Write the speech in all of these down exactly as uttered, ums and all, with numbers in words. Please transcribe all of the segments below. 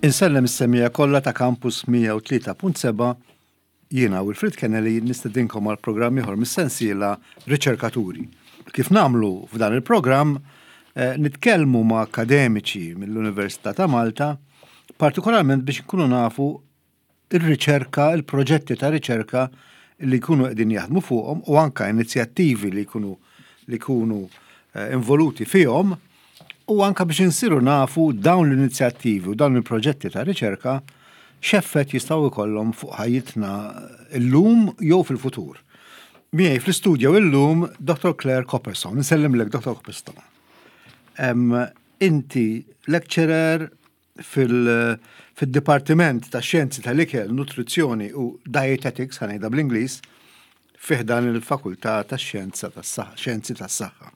Insellem is-semmiegħa kollha ta' Campus mija u tlieta punt seba'. Jiena Wilfred Kennedy nistedinkom għal programm ieħor mis-sensiela Riċerkaturi. Kif nagħmlu f'dan il-programm, eh, nitkellmu ma' akademiċi mill-Università ta' Malta, partikolarment biex nkunu nafu il-riċerka, il-proġetti ta' riċerka li jkunu qegħdin jaħdmu fuqhom u anka inizjattivi li jkunu li jkunu eh, involuti fihom u anka biex insiru nafu dawn l-inizjattivi u dawn il-proġetti ta' riċerka x'effett jistgħu jkollhom fuq ħajjitna illum jew fil-futur. Miegħi fl-istudju illum Doctor Claire Copperstone. Nsellimlek, Doctor Copperstone. Em, inti lecturer fil-Dipartiment ta' Xjenzi tal-Ikel, Nutrizzjoni u Dietetics, ħa ngħidha bl-Ingliż, fi ħdan il-Fakultà ta' Xjenza tas-Saħħa, Xjenzi tas-Saħħa.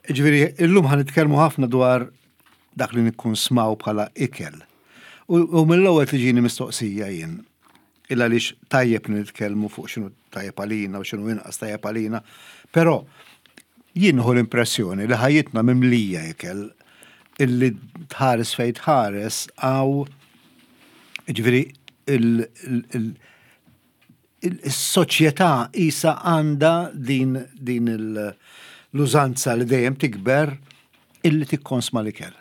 Ġifieri, illum ħa nitkellmu ħafna dwar dak li nikkunsmaw bħala ikel. U, u mill-ewwel tiġini mistoqsija jien. Illa għaliex tajjeb li nitkellmu fuq x'inhu tajjeb għalina u x'inhu inqas tajjeb għalina, però jien nieħu l-impressjoni li ħajjitna mimlija ikel, illi tħares fejn tħares għaw, ġifieri il- il- il- il-soċjetà isa għandha din din il- l-użanza li dejjem tikber illi tikkonsma l-ikel.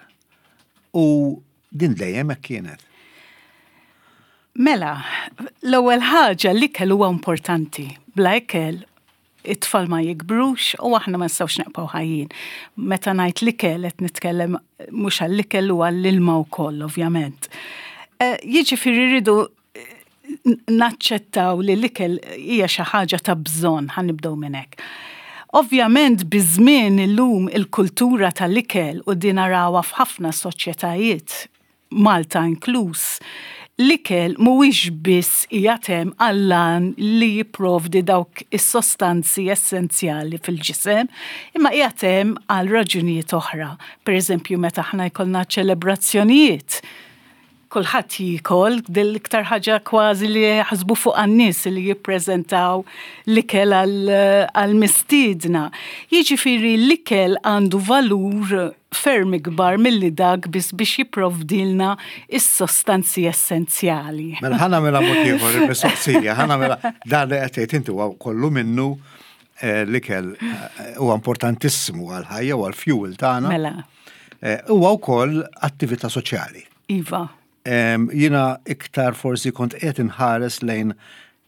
U din dejjem hekk kienet. Mela, l-ewwel ħaġa, l-ikel huwa importanti. Bla ikel it-tfal ma jikbrux u aħna ma nistgħux nibqgħu ħajjin. Meta ngħid l-ikel qed nitkellem mhux għall-ikel u għall-ilma wkoll, ovvjament. Eh, Jiġifieri rridu eh, naċċettaw li l-ikel hija xi ħaġa ta' bżonn, ħa nibdew minn hekk. Ovvjament, biż-żmien illum il-kultura tal-ikel, u din narawha f'ħafna soċjetajiet, Malta inkluż, l-ikel mhuwiex biss qiegħed hemm għall-għan li jipprovdi dawk is-sostanzi essenzjali fil-ġisem, imma qiegħed hemm għal raġunijiet oħra. Per eżempju, meta aħna jkollna ċelebrazzjonijiet, kulħadd jiekol, dil-iktar ħaġa kważi li jaħsbu fuq għan-nies li jippreżentaw l-ikel għal-mistiedna. Jiġifieri l-ikel għandu valur ferm ikbar milli dak biss biex jipprovdilna is-sostanzi essenzjali. Mela ħa nagħmilha mod ieħor il-mistoqsija, ħa nagħmilha. Dan li qed tgħid inti huwa kollu minnu, eh, l-ikel eh, huwa importantissimu għal-ħajja u għal-fuel tagħna. Mela. Eh, Huwa wkoll attività soċjali. Iva. Em, Jiena iktar forsi kont qed inħares lejn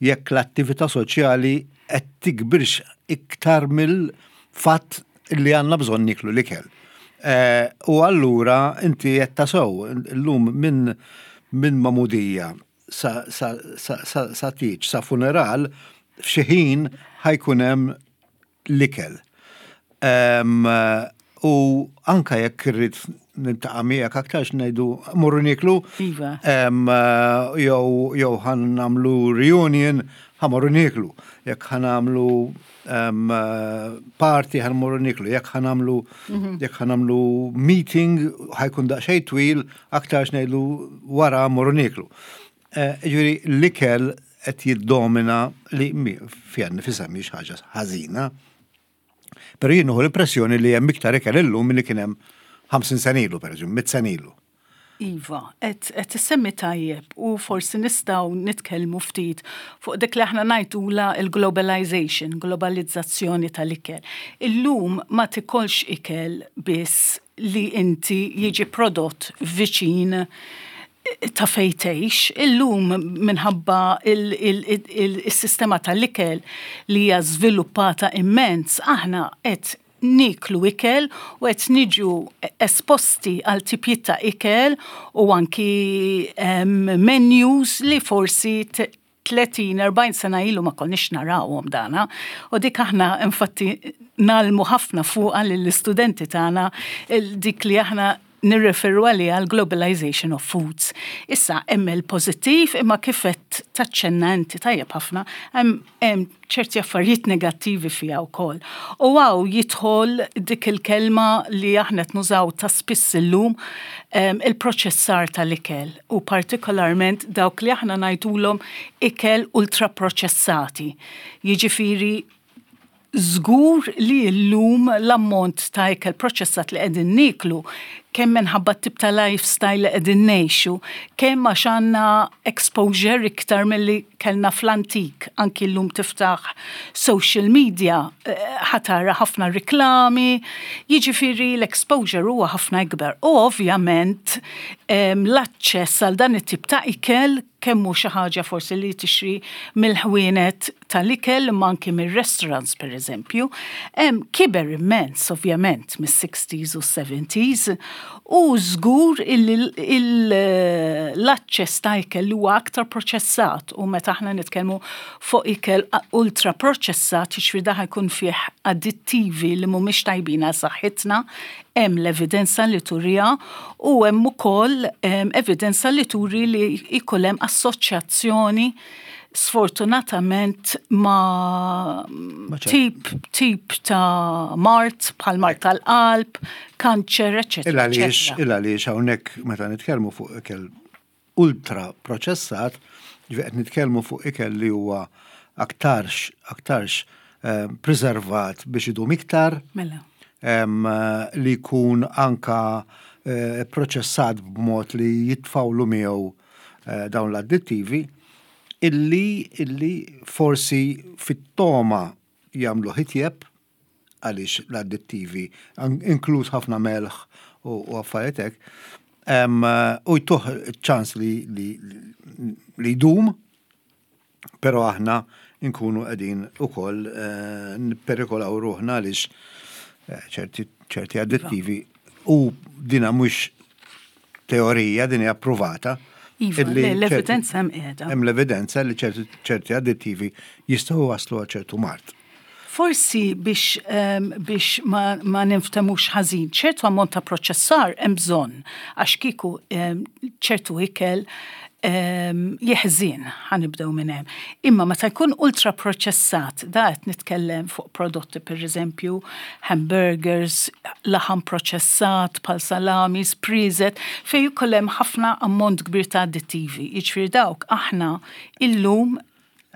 jekk l-attività soċjali qed tikbirx iktar mill-fatt li għandna bżonn niklu l-ikel. Eh, U allura inti qed tasew illum minn minn magħmudija sa, sa, sa, sa, sa tieġ, sa funeral, f'xi ħin ħa jkun hemm l-ikel. Em, U anka jekk irrid niltaqa' miegħek, aktarx ngħidu morru niklu. Iva. Em, jew jew ħa nagħmlu reunion, ħa mmorru nieklu. Jekk ħa nagħmlu em, party, ħa mmorru nieklu. Jekk ħa nagħmlu jekk ħa nagħmlu meeting ħa jkun daqsxejn twil, aktarx ngħidu wara mmorru nieklu. Eh, Ġifieri l-ikel qed jiddomina, li mi- fiha nfisha mhix ħaġa ħażina. Però jien nieħu l-impressjoni li hemm iktar ikel illum milli kien hemm ħamsin sena ilu, pereżempju, mitt sena ilu. Iva, qed qed issemmi tajjeb u forsi nistgħu nitkellmu ftit fuq dik li aħna ngħidula il-globalization, globalizzazzjoni tal-ikel. Illum ma tikolx ikel biss li inti jiġi prodott viċin ta' fejn tgħix, illum minħabba il-sistema tal-ikel li hija żviluppata immens, aħna qed niklu ikel u qed niġu esposti għal tipijiet ta' ikel u anki menus li forsi tletin erbgħin sena ilu ma konniex narawhom dana. U dik aħna infatti ngħallmu ħafna fuqha lill-istudenti tagħna, dik li aħna nirreferu għalija għal globalization of foods. Issa, hemm il-pożittiv, imma kif qed taċċenna inti tajjeb ħafna, hemm ċerti affarijiet negattivi fiha wkoll. U hawn jidħol dik il-kelma li aħna nużaw ta' spiss illum, il-proċessar tal-ikel u partikolarment dawk li aħna ngħidulhom ikel ultraproċessati. Jiġifieri żgur li llum l-ammont ta' ikel proċessat li qegħdin niklu Kemm minħabba tip ta' lifestyle li qegħdin ngħixu, kemm għax għandna exposure iktar milli kellna fl-antik, anki llum tiftaħ social media, eh, ħa tara ħafna riklami, jiġifieri l-exposure huwa ħafna ikbar. U ovvjament l-aċċess għal dan it-tip ta' ikel, kemm hu xi ħaġa forsi li tixtri mill-ħwienet tal-ikel, imma anki mir-restaurants, per eżempju, kiber immens, ovvjament, mis-sixties u seventies, u żgur l-aċċess ta' ikel li huwa aktar proċessat, u meta aħna nitkellmu fuq ikel ultra proċessat, jiġifieri dan jkun fih addittivi li mhumiex tajbin għal saħħitna, hemm l-evidenza li turija u hemm ukoll evidenza li turi li jkun hemm assoċjazzjoni, sfortunatament, ma tip, tip ta' mard bħal mard tal-qalb, kanċer, eċetera. Illa għaliex, illa għaliex hawnhekk meta nitkellmu fuq ikel ultra proċessat, qed nitkellmu fuq ikel li huwa aktarx, aktarx eh, preservat biex idum iktar. Mela. Li jkun anka eh, proċessat b'mod li jitfawlu miegħu eh, dawn l-addittivi illi illi forsi fit-toma jagħmlu itjeb, għaliex l-addittivi, inkluż ħafna melħ u affarijiet hekk, u jtuh ċans li li jdum, pero aħna nkunu qegħdin ukoll eh, nipperikolaw ruħna, għaliex eh, ċerti addittivi, u dina mhux teorija, din hija approvata. Iva, l-evidenza hemm qiegħda. Hemm l-evidenza li ċerti addittivi jistgħu waslu għal ċertu mard. Forsi biex, um, biex ma, ma niftemux ħażin, ċertu ammont ta' proċessar hemm bżonn, għax kieku um, ċertu ikel um, jeħżin, ħa nibdew minn hemm. Imma meta jkun ultra proċessat, da qed nitkellem fuq prodotti, per eżempju hamburgers, laħam proċessat, bħal salamis, prieżet, fejn jkun hemm ħafna ammont kbir ta' addittivi. Jiġifieri dawk aħna illum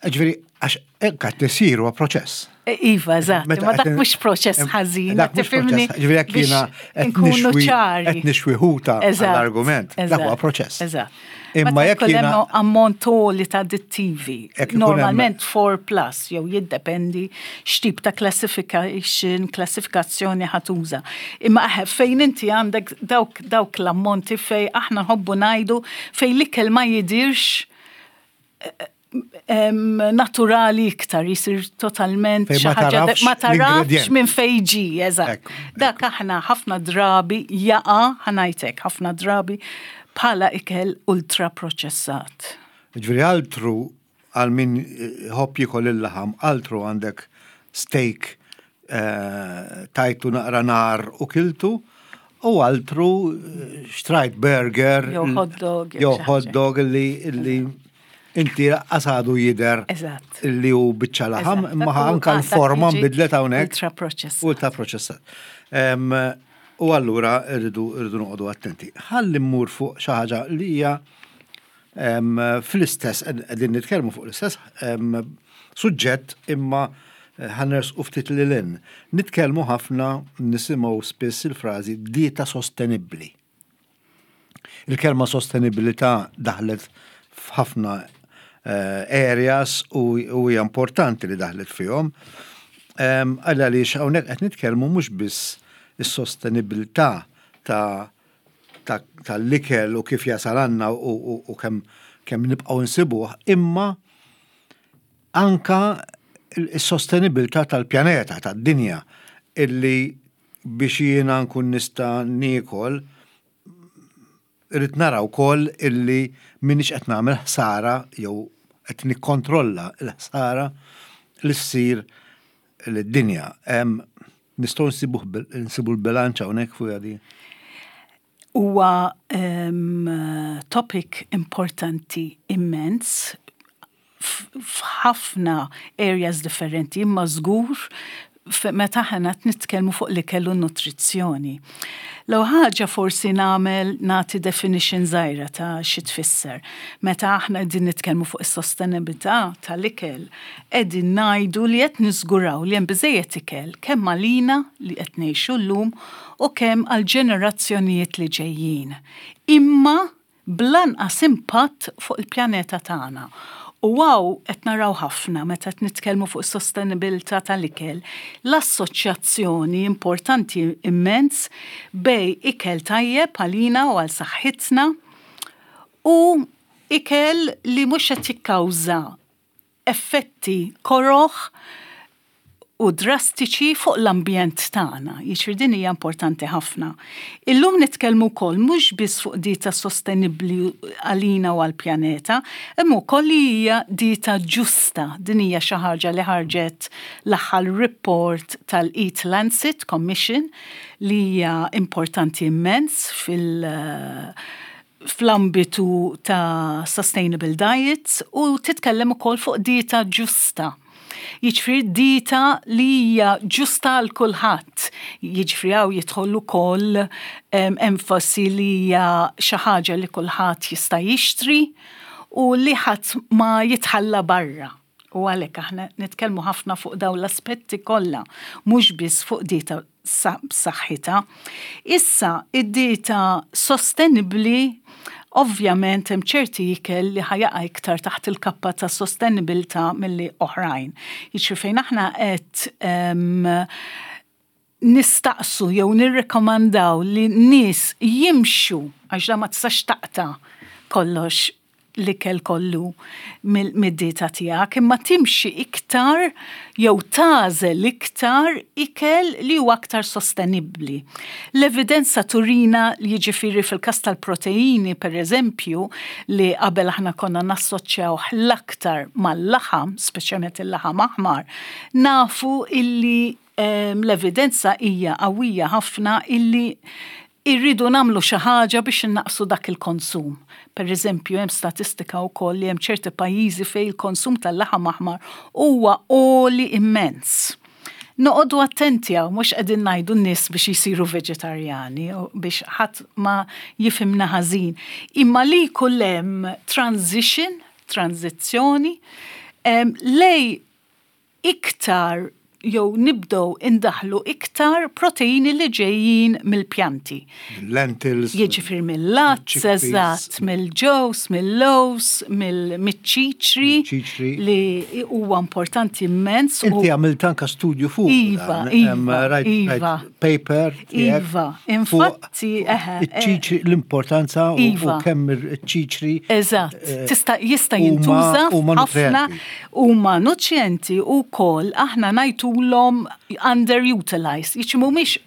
Ġifieri, għax hekk qed isir huwa proċess. Iva, eżatt, ma dak mhux proċess ħażin, tifhimni. Ġifieri jekk jiena qed ċari. Qed nixwi ħuta l-argument, dak huwa proċess. Eżatt. Imma jekk jiena ammont li ta' addittivi, normalment four plus, jew jiddependi x'tip ta' classification, klassifikazzjoni ħa tuża. Imma fejn inti għandek dawk dawk l-ammonti fej aħna nħobbu ngħidu fej l-ikel ma jidirx naturali iktar, jisir totalment ma tarafx minn fejn ġie, eżatt. Dak aħna ħafna drabi jaqa', ħa ngħidlek, ħafna drabi bħala ikel ultra proċessat. Ġifieri altru għal min iħobb jiekol il-laħam, altru għandek steak eh, tajtu naqra nar u kiltu, u altru eh, xtrajt burger. Jew hot dog. Jew hot dog li inti għadu jidher li hu biċċa laħam, imma anka l-forma nbidlet hawnhekk. Ultra proċessat. Ultra proċessat. U allura rridu rridu noqogħdu attenti. Ħalli mmur fuq xi ħaġa li hija fl-istess, qegħdin nitkellmu fuq l-istess suġġett, imma ħa nersqu ftit lil hinn. Nitkellmu ħafna, nisimgħu spiss il-frażi dieta sostenibbli. Il-kelma sostenibilità daħlet f'ħafna eh, areas u hija importanti li daħlet fihom. Għalla għaliex hawnhekk qed nitkellmu mhux biss is-sostenibilità ta' tal-ikel u kif jasal għandna u kemm kemm nibqgħu nsibuh, imma anka is-sostenibilità tal-pjaneta, tad-dinja, illi biex jiena nkun nista' niekol irrid nara wkoll illi minix qed nagħmel ħsara jew qed nikkontrolla l-ħsara li ssir lid-dinja. Nistgħu nsibu l-bilanċ hawnhekk fuq di? Huwa um, topic importanti immens f'ħafna areas differenti, imma żgur meta aħna nitkellmu fuq l-ikel u nutrizzjoni. L-ewwel ħaġa forsi nagħmel nagħti definition żgħira ta' xi tfisser. Meta aħna qegħdin nitkellmu fuq is-sostenibilità tal-ikel, qegħdin ngħidu li qed niżguraw li hemm biżejjed ikel kemm għalina li qed ngħixu llum u kemm għal ġenerazzjonijiet li ġejjin. Imma bl-anqas impatt fuq il-pjaneta tagħna. U hawn qed naraw ħafna meta qed nitkellmu fuq sostenibilità tal-ikel, l-assoċjazzjoni importanti immens bejn ikel tajjeb għalina u għal saħħitna u ikel li mhux qed jikkawża effetti koroħ u drastiċi fuq l-ambjent tagħna. Jiġifieri din hija importanti ħafna. Illum nitkellmu wkoll mhux biss fuq dieta sostenibbli għalina u għall-pjaneta, imma wkoll li hija dieta ġusta. Din hija xi ħaġa li ħarġet l-aħħar report tal-Eat Lancet Commission li hija importanti immens fil- fl-ambitu ta' sustainable diets u titkellem ukoll fuq dieta ġusta. Jiġifieri dieta li hija ġusta għal kulħadd. Jiġifieri hawn jidħol ukoll enfasi li hija xi ħaġa li kulħadd jista' jixtri u li ħadd ma jitħalla barra. U għalhekk aħna nitkellmu ħafna fuq dawn l-aspetti kollha, mhux biss fuq dieta b'saħħitha. Issa id-dieta sostenibbli, ovvjament hemm ċerti ikel li ħa jaqa' iktar taħt il-kappa ta' sostenibilità milli oħrajn. Jiġifieri fejn aħna qed nistaqsu jew nirrekomandaw li nies jimxu, għax da ma tistax taqta' kollox l-ikel kollu mid-dieta tiegħek, imma timxi iktar jew tagħżel iktar ikel li huwa aktar sostenibbli. L-evidenza turina li, jiġifieri, fil-każ tal-proteini, per eżempju, li qabel aħna konna nassoċjaw l-aktar mal-laħam, speċjalment il-laħam aħmar, nafu illi l-evidenza hija qawwija ħafna illi irridu nagħmlu xi ħaġa biex innaqsu dak il-konsum. Per eżempju, hemm statistika wkoll li hemm ċerti pajjiżi fejn il-konsum tal-laħam aħmar huwa għoli immens. Noqogħdu attenti hawn, mhux qegħdin ngħidu n-nies biex jisiru veġetarjani u biex ħadd ma jifhimna ħażin. Imma li jkun hemm transition, tranzizzjoni lejn iktar jew nibdew indaħlu iktar proteini li ġejjin mill-pjanti. Lentils. Jiġifieri mill-għads, chickpeas. Eżatt, mill-ġows, mill-lows, mill-ċiċri Ċiċri. li huwa importanti immens. u- Inti għamilt anka studju fuq Iva, dan. iva, Em, rajt- iva. rajt paper tiegħek Iva, fuq infatti, eħe, iċ-ċiċri, l-importanza u- u Iva. kemm iċ-ċiċri Eżatt, eh, tista' jista' huma- jintuża huma ħafna nutrienti. Huma nutrienti u kol aħna ngħidulhom underutilized, jiġi mhumiex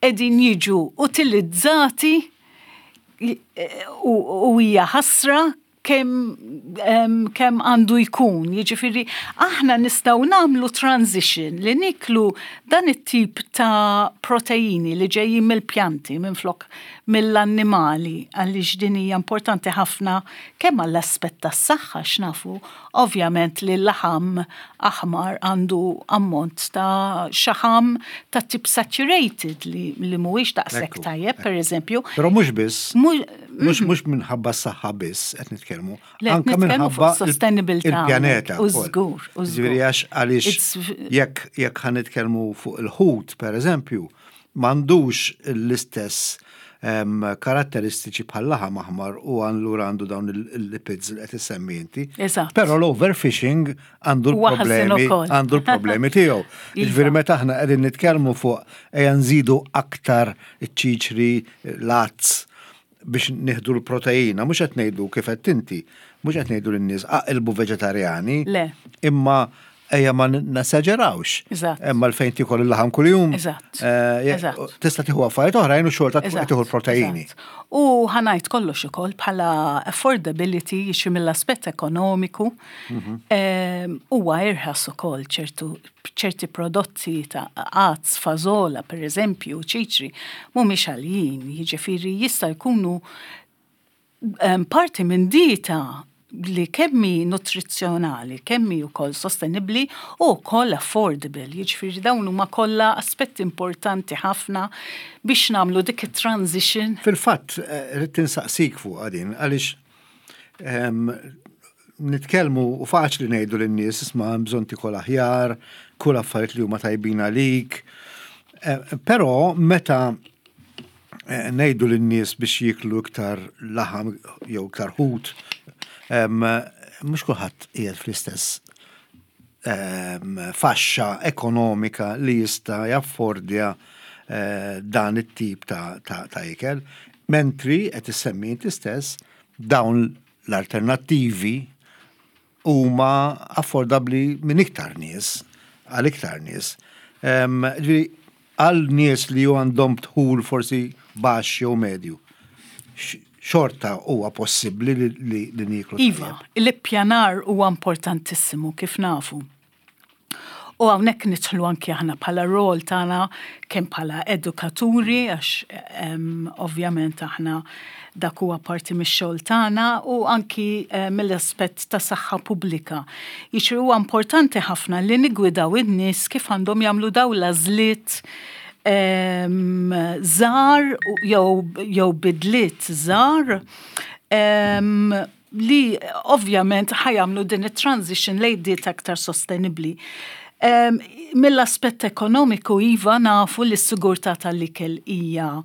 qegħdin jiġu utilizzati u u hija ħasra kemm em, kemm għandu jkun. Jiġifieri aħna nistgħu nagħmlu transition li niklu dan it-tip ta' proteini li ġejjin mill-pjanti minflok mill-annimali, għaliex din hija importanti ħafna kemm għall-aspett tas-saħħa, x'nafu ovvjament li l-laħam aħmar għandu ammont ta' xaħam ta' tip saturated li, li mhuwiex daqshekk Ekku, tajjeb, per eżempju. Però mhux biss, Mhux- mhux mhux minħabba s-saħħa biss qed nitkellmu, Le, qed anka nitkellmu minħabba fuq sostenibilità il-pjaneta. U wkoll. żgur, u żgur. Ġifieri għax għaliex It's- jekk jekk ħa nitkellmu fuq il-ħut, per eżempju, m'għandux l-istess em, karatteristiċi bħal laħam aħmar u allura għandu dawn il-lipids li qed issemmi inti. Eżatt. Però l-overfishing għandu Huwa ħażin l-problemi ukoll. Għandu l-problemi tiegħu. Iva. Jiġifieri meta aħna qegħdin nitkellmu fuq ejja nżidu aktar iċ-ċiċri, l-għads biex nieħdu l-proteina, mhux qed ngħidu kif qed inti, mhux qed ngħidu lin-nies aqilbu veġetarjani. Le. Imma ejja ma nesaġerawx. Eżatt. Imma l-fejn tikol il-laħam kuljum. Eżatt. eh, je- Eżatt. Tista' tieħu affarijiet oħrajn u xorta tkun qed Eżatt, tieħu l-proteini. Eżatt. U ħa ngħid kollox ukoll bħala affordability, jiġi mill-aspett ekonomiku, Mhm. em, huwa irħas ukoll ċertu ċerti prodotti ta' għads, fażola, per eżempju, ċiċri, mhumiex għaljin, jiġifieri jista' jkunu em, parti minn dieta li kemm hi nutrizzjonali, kemm hi wkoll sostenibbli u wkoll affordable. Jiġifieri dawn huma kollha aspetti importanti ħafna biex nagħmlu dik it-transition. Fil-fatt, eh, rrid insaqsik fuq din, għaliex ehm, nitkellmu u faċli ngħidu lin-nies, "Isma', bżonn tikol aħjar, kull affarijiet li huma tajbin għalik." Eh, però meta eh, ngħidu lin-nies biex jiklu iktar laħam jew iktar ħut, mhux kulħadd qiegħed fl-istess faxxa ekonomika li jista' jaffordja eh, dan it-tip ta', ta, ta ikel. Mentri qed issemmi inti stess dawn l-alternattivi huma affordabbli minn iktar nies, għal iktar nies. Għal nies li għandhom dħul forsi baxx jew medju, xorta huwa possibbli li, li nieklu? Iva, l-ippjanar huwa importantissimu, kif nafu. U hawnhekk nidħlu anki aħna bħala rol tagħna, kemm bħala edukaturi, għax ovvjament aħna dak huwa parti mix-xogħol tagħna, u anki eh, mill-aspett ta' saħħa pubblika. Jiġri huwa importanti ħafna li nigwidaw in-nies kif għandhom jagħmlu dawn l-għażliet żgħar jew bidliet żgħar li ovvjament ħa jagħmlu din it-transition lejn diet aktar sostenibbli. Mill-aspett ekonomiku, iva, nafu li s-sigurtà tal-ikel hija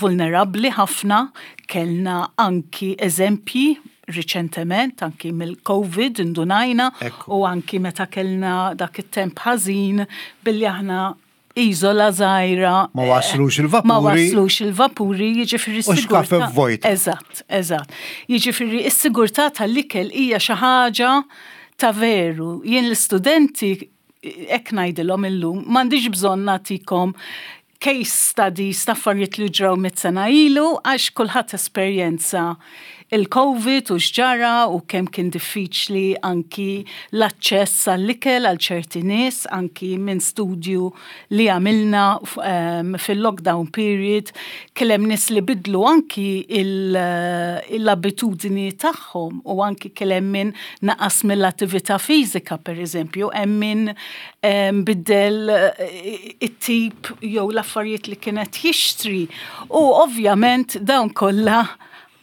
vulnerabbli ħafna. Kellna anki eżempji riċentement, anki mill-Covid indunajna, u anki meta kellna dak it-temp ħażin, billi aħna iżola żgħira. Ma waslux il-vapuri. Ma waslux il-vapuri, jiġifieri s-sigurtà. Vojta. Eżatt, eżatt. Jiġifieri s-sigurtà tal-ikel hija xi ħaġa ta' veru. Jien l-istudenti hekk ngħidilhom illum, "M'għandix bżonn nagħtikom case studies ta' affarijiet li ġraw mitt sena ilu, għax kulħadd esperjenza il-Covid u x'ġara u kemm kien diffiċli anki l-aċċess għall-ikel għal ċerti nies." Anki minn studju li għamilna um, fil-lockdown period, kien hemm nies li bidlu anki l-abitudni tagħhom u anki kien hemm min naqas mill-attività fiżika, per eżempju, hemm min um, biddel eh, it-tip jew l-affarijiet li kienet jixtri. U ovvjament dawn kollha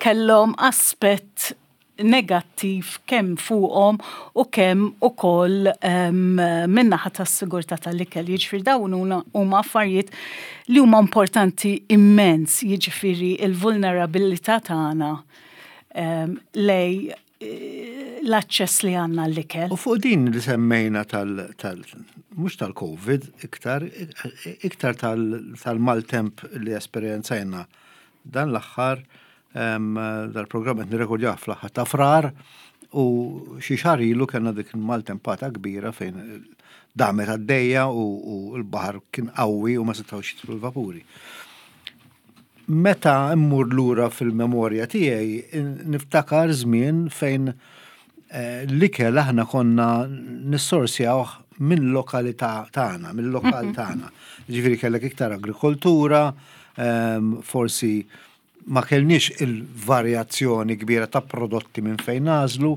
kellhom aspett negattiv kemm fuqhom u kemm ukoll um, min-naħa tas-sigurtà tal-ikel. Jiġifieri dawn huma affarijiet li huma importanti immens, jiġifieri il-vulnerabilità tagħna um, lejn eh, l-aċċess li għandna l-ikel. U fuq din li semmejna tal, tal mhux tal-Covid, iktar, iktar tal-maltemp li esperjenzajna dan l-aħħar, dal-programm qed nirrekordjah fl-aħħar ta' Frar u xi xahar ilu kellna dik il-maltempata kbira fejn damet għaddejja u l-baħar kien qawwi u ma setgħux jidħlu l-vapuri. Meta immur lura fil-memorja tiegħi, niftakar żmien fejn eh, l-ikel aħna konna nissorsjawh minn lokalità tagħna, minn lokal tagħna. Ġifieri kellek iktar agrikoltura, forsi ma kellniex il-varjazzjoni kbira ta' prodotti minn fejn nagħżlu,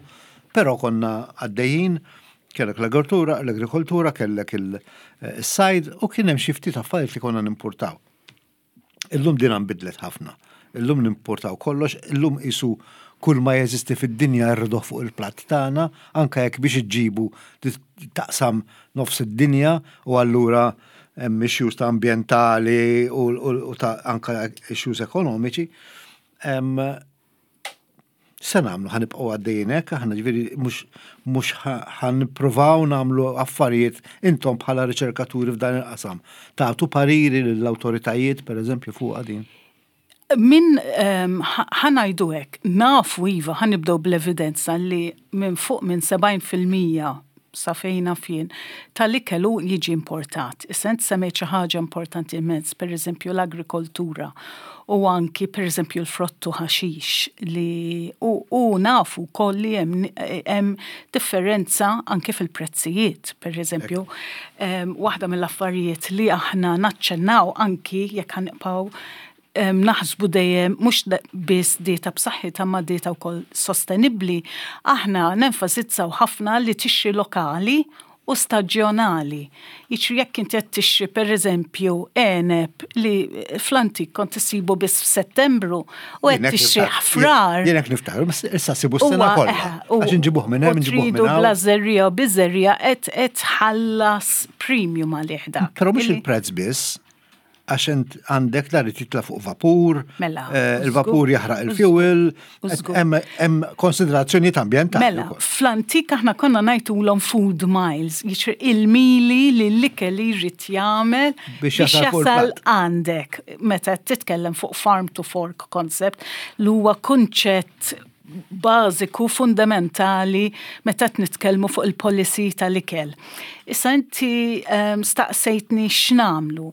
però konna għaddejjin, kellek l-agrikoltura, l-agrikoltura, kellek il-sajd u kien hemm xi ftit affarijiet li konna nimportaw. Illum din bidlet ħafna. Illum nimportaw kollox, illum qisu kull ma jeżisti fid-dinja rriduh fuq il-platt tagħna, anke jekk biex iġġibu taqsam nofs id-dinja u allura hemm issues ta' ambjentali u ta' anka issues ekonomiċi. Se nagħmlu, ħa nibqgħu għaddejjin hekk aħna, ġifieri mhux mhux ħa nippruvaw nagħmlu affarijiet, intom bħala riċerkaturi f'dan il-qasam, tagħtu pariri lill-awtoritajiet, pereżempju, fuq din? Min ħa ngħidu hekk, nafu, iva, ħa nibdew bl-evidenza li minn fuq minn sebgħin fil-mija, sa fejn naf jien, tal-ikel jiġi importat. Issa int semmejt xi ħaġa importanti immens, per eżempju l-agrikoltura u anki per eżempju l-frottu ħaxix li u, u nafu koll li hemm differenza anki fil-prezzijiet. Per eżempju, waħda mill-affarijiet li aħna naċċennaw anki jekk ħa nibqgħu naħsbu dejjem mhux biss dieta b'saħħitha ma dieta wkoll sostenibbli, aħna nenfasizzaw ħafna li tixtri lokali u staġjonali. Jiġri jekk inti qed tixtri pereżempju għeneb li fl-antik kont issibu biss f'Settembru u qed tixtri Frar. Jien hekk niftakar, issa ssibu s-sena kollha. Għax inġibuh minn hemm, inġibuh minn hawn. Bla żerriegħa u biż-żerriegħa qed qed tħallas premium għalih dak. Però mhux il-prezz biss, għax int għandek dar titla fuq vapur, Mela, eh, il-vapur jaħraq il-fuel, hemm konsiderazzjonijiet ambjentali. Mela, fl-antik aħna konna ngħidulhom food miles, jiġri il-mili li l-ikel li jrid jagħmel biex jasal għandek. Meta titkellem fuq farm to fork concept, li huwa kunċett bażiku fundamentali meta nitkellmu fuq il-policy tal-ikel. Issa inti um, staqsejtni x'nagħmlu.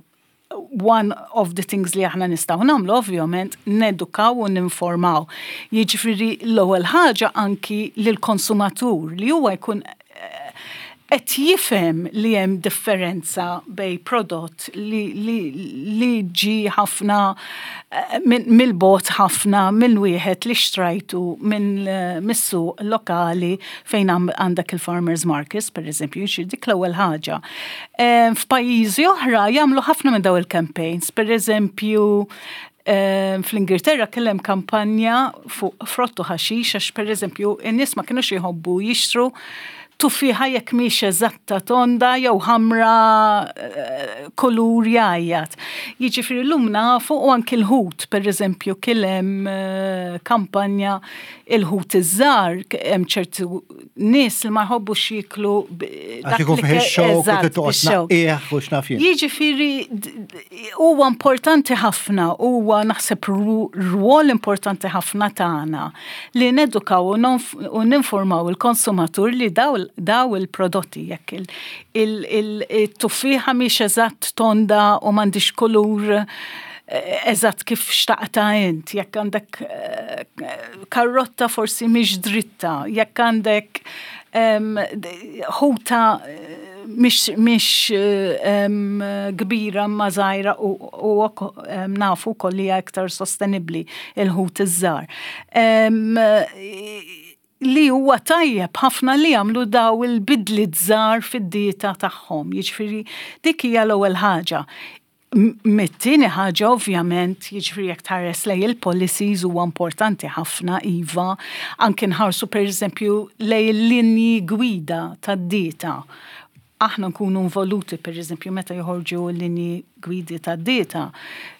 One of the things li aħna nistgħu nagħmlu ovvjament nedukaw u ninformaw. Jiġifieri l-ewwel ħaġa anki lill-konsumatur li huwa jkun qed jifhem li hemm differenza bejn prodott li, li, li ġi ħafna mill-bogħod ħafna minn wieħed li xtrajtu minn mis-suq lokali fejn għandek il-farmers markets, per eżempju, jiġri dik l-ewwel ħaġa. F'pajjiżi oħra jagħmlu ħafna minn daw il-campaigns, per eżempju, fl-Ingilterra kellem kampanja fuq frott u ħaxix għax per eżempju in-nies ma kinux jħobbu jixtru tuffiħa jekk mhix eżatta tonda jew ħamra kulur jgħajjat. Jiġifieri llum nafu u anki l-ħut, per eżempju, kien hemm kampanja il-ħut iż-żgħar, hemm ċertu nies li ma jħobbux jieklu dak li ix-xewk. Jiġifieri huwa importanti ħafna, huwa naħseb rwol importanti ħafna tagħna li nedukaw u ninformaw il-konsumatur li daw daw il-prodotti jekk il-tuffiħa mhix eżatt tonda u m'għandix kulur eżatt kif xtaqta int, jekk għandek karrotta forsi mhix dritta, jekk għandek ħuta mhix kbira ma żgħira u nafu wkoll li hija iktar sostenibbli il-ħut iż-żgħar. Li huwa tajjeb ħafna li jagħmlu daw il-bidliet żgħar fid-dieta tagħhom. Jiġifieri dik hija l-ewwel ħaġa. Mit-tieni ħaġa ovvjament, jiġifieri jekk tħares lejn il-policies huwa importanti ħafna iva, anke nħarsu pereżempju lejn il-linji gwida tad-dieta. Aħna nkunu involuti pereżempju meta joħorġu l-linji gwidi tad-dieta,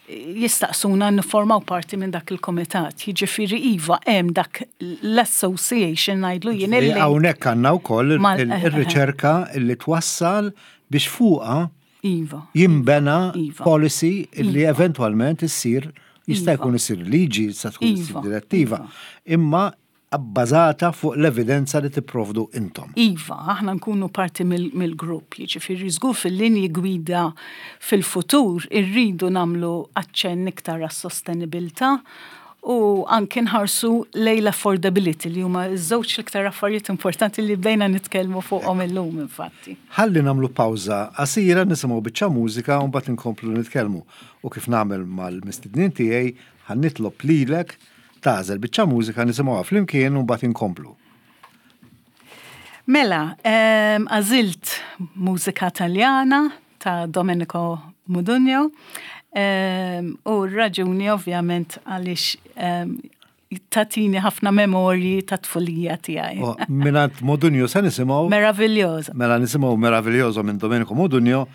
jistaqsuna nifformaw parti minn dak il-komitat. Jiġifieri iva hemm dak l-association ngħidlu jien illi. Hawnhekk għandna wkoll ir-riċerka li twassal biex fuqha Iva. Jimbena policy li eventwalment issir jista' jkun issir liġi, jista' tkun issir direttiva. Imma abbażata fuq l-evidenza li tipprovdu intom. Iva, aħna nkunu parti mill-grupp, jiġifieri żgur fil-linji gwida fil-futur irridu nagħmlu aċċenn iktar għas-sostenibilità u anke nħarsu lejn l-affordability li huma ż-żewġ l-iktar affarijiet importanti li bdejna nitkellmu fuqhom illum infatti. Ħalli nagħmlu pawża qasira nisimgħu biċċa mużika u mbagħad inkomplu nitkellmu. U kif nagħmel mal-mistednin tiegħi ħa nitlob lilek tagħżel biċċa mużika nisimgħuha flimkien u mbagħad inkomplu. Mela, għażilt mużika Taljana ta' Domenico Modugno. U r-raġuni ovvjament għaliex tatini ħafna memorji ta' tfulija tiegħi. Mingħand Modugno se nisimgħu Meraviglioso. Mela nisimgħu Meraviglioso minn Domenico Modugno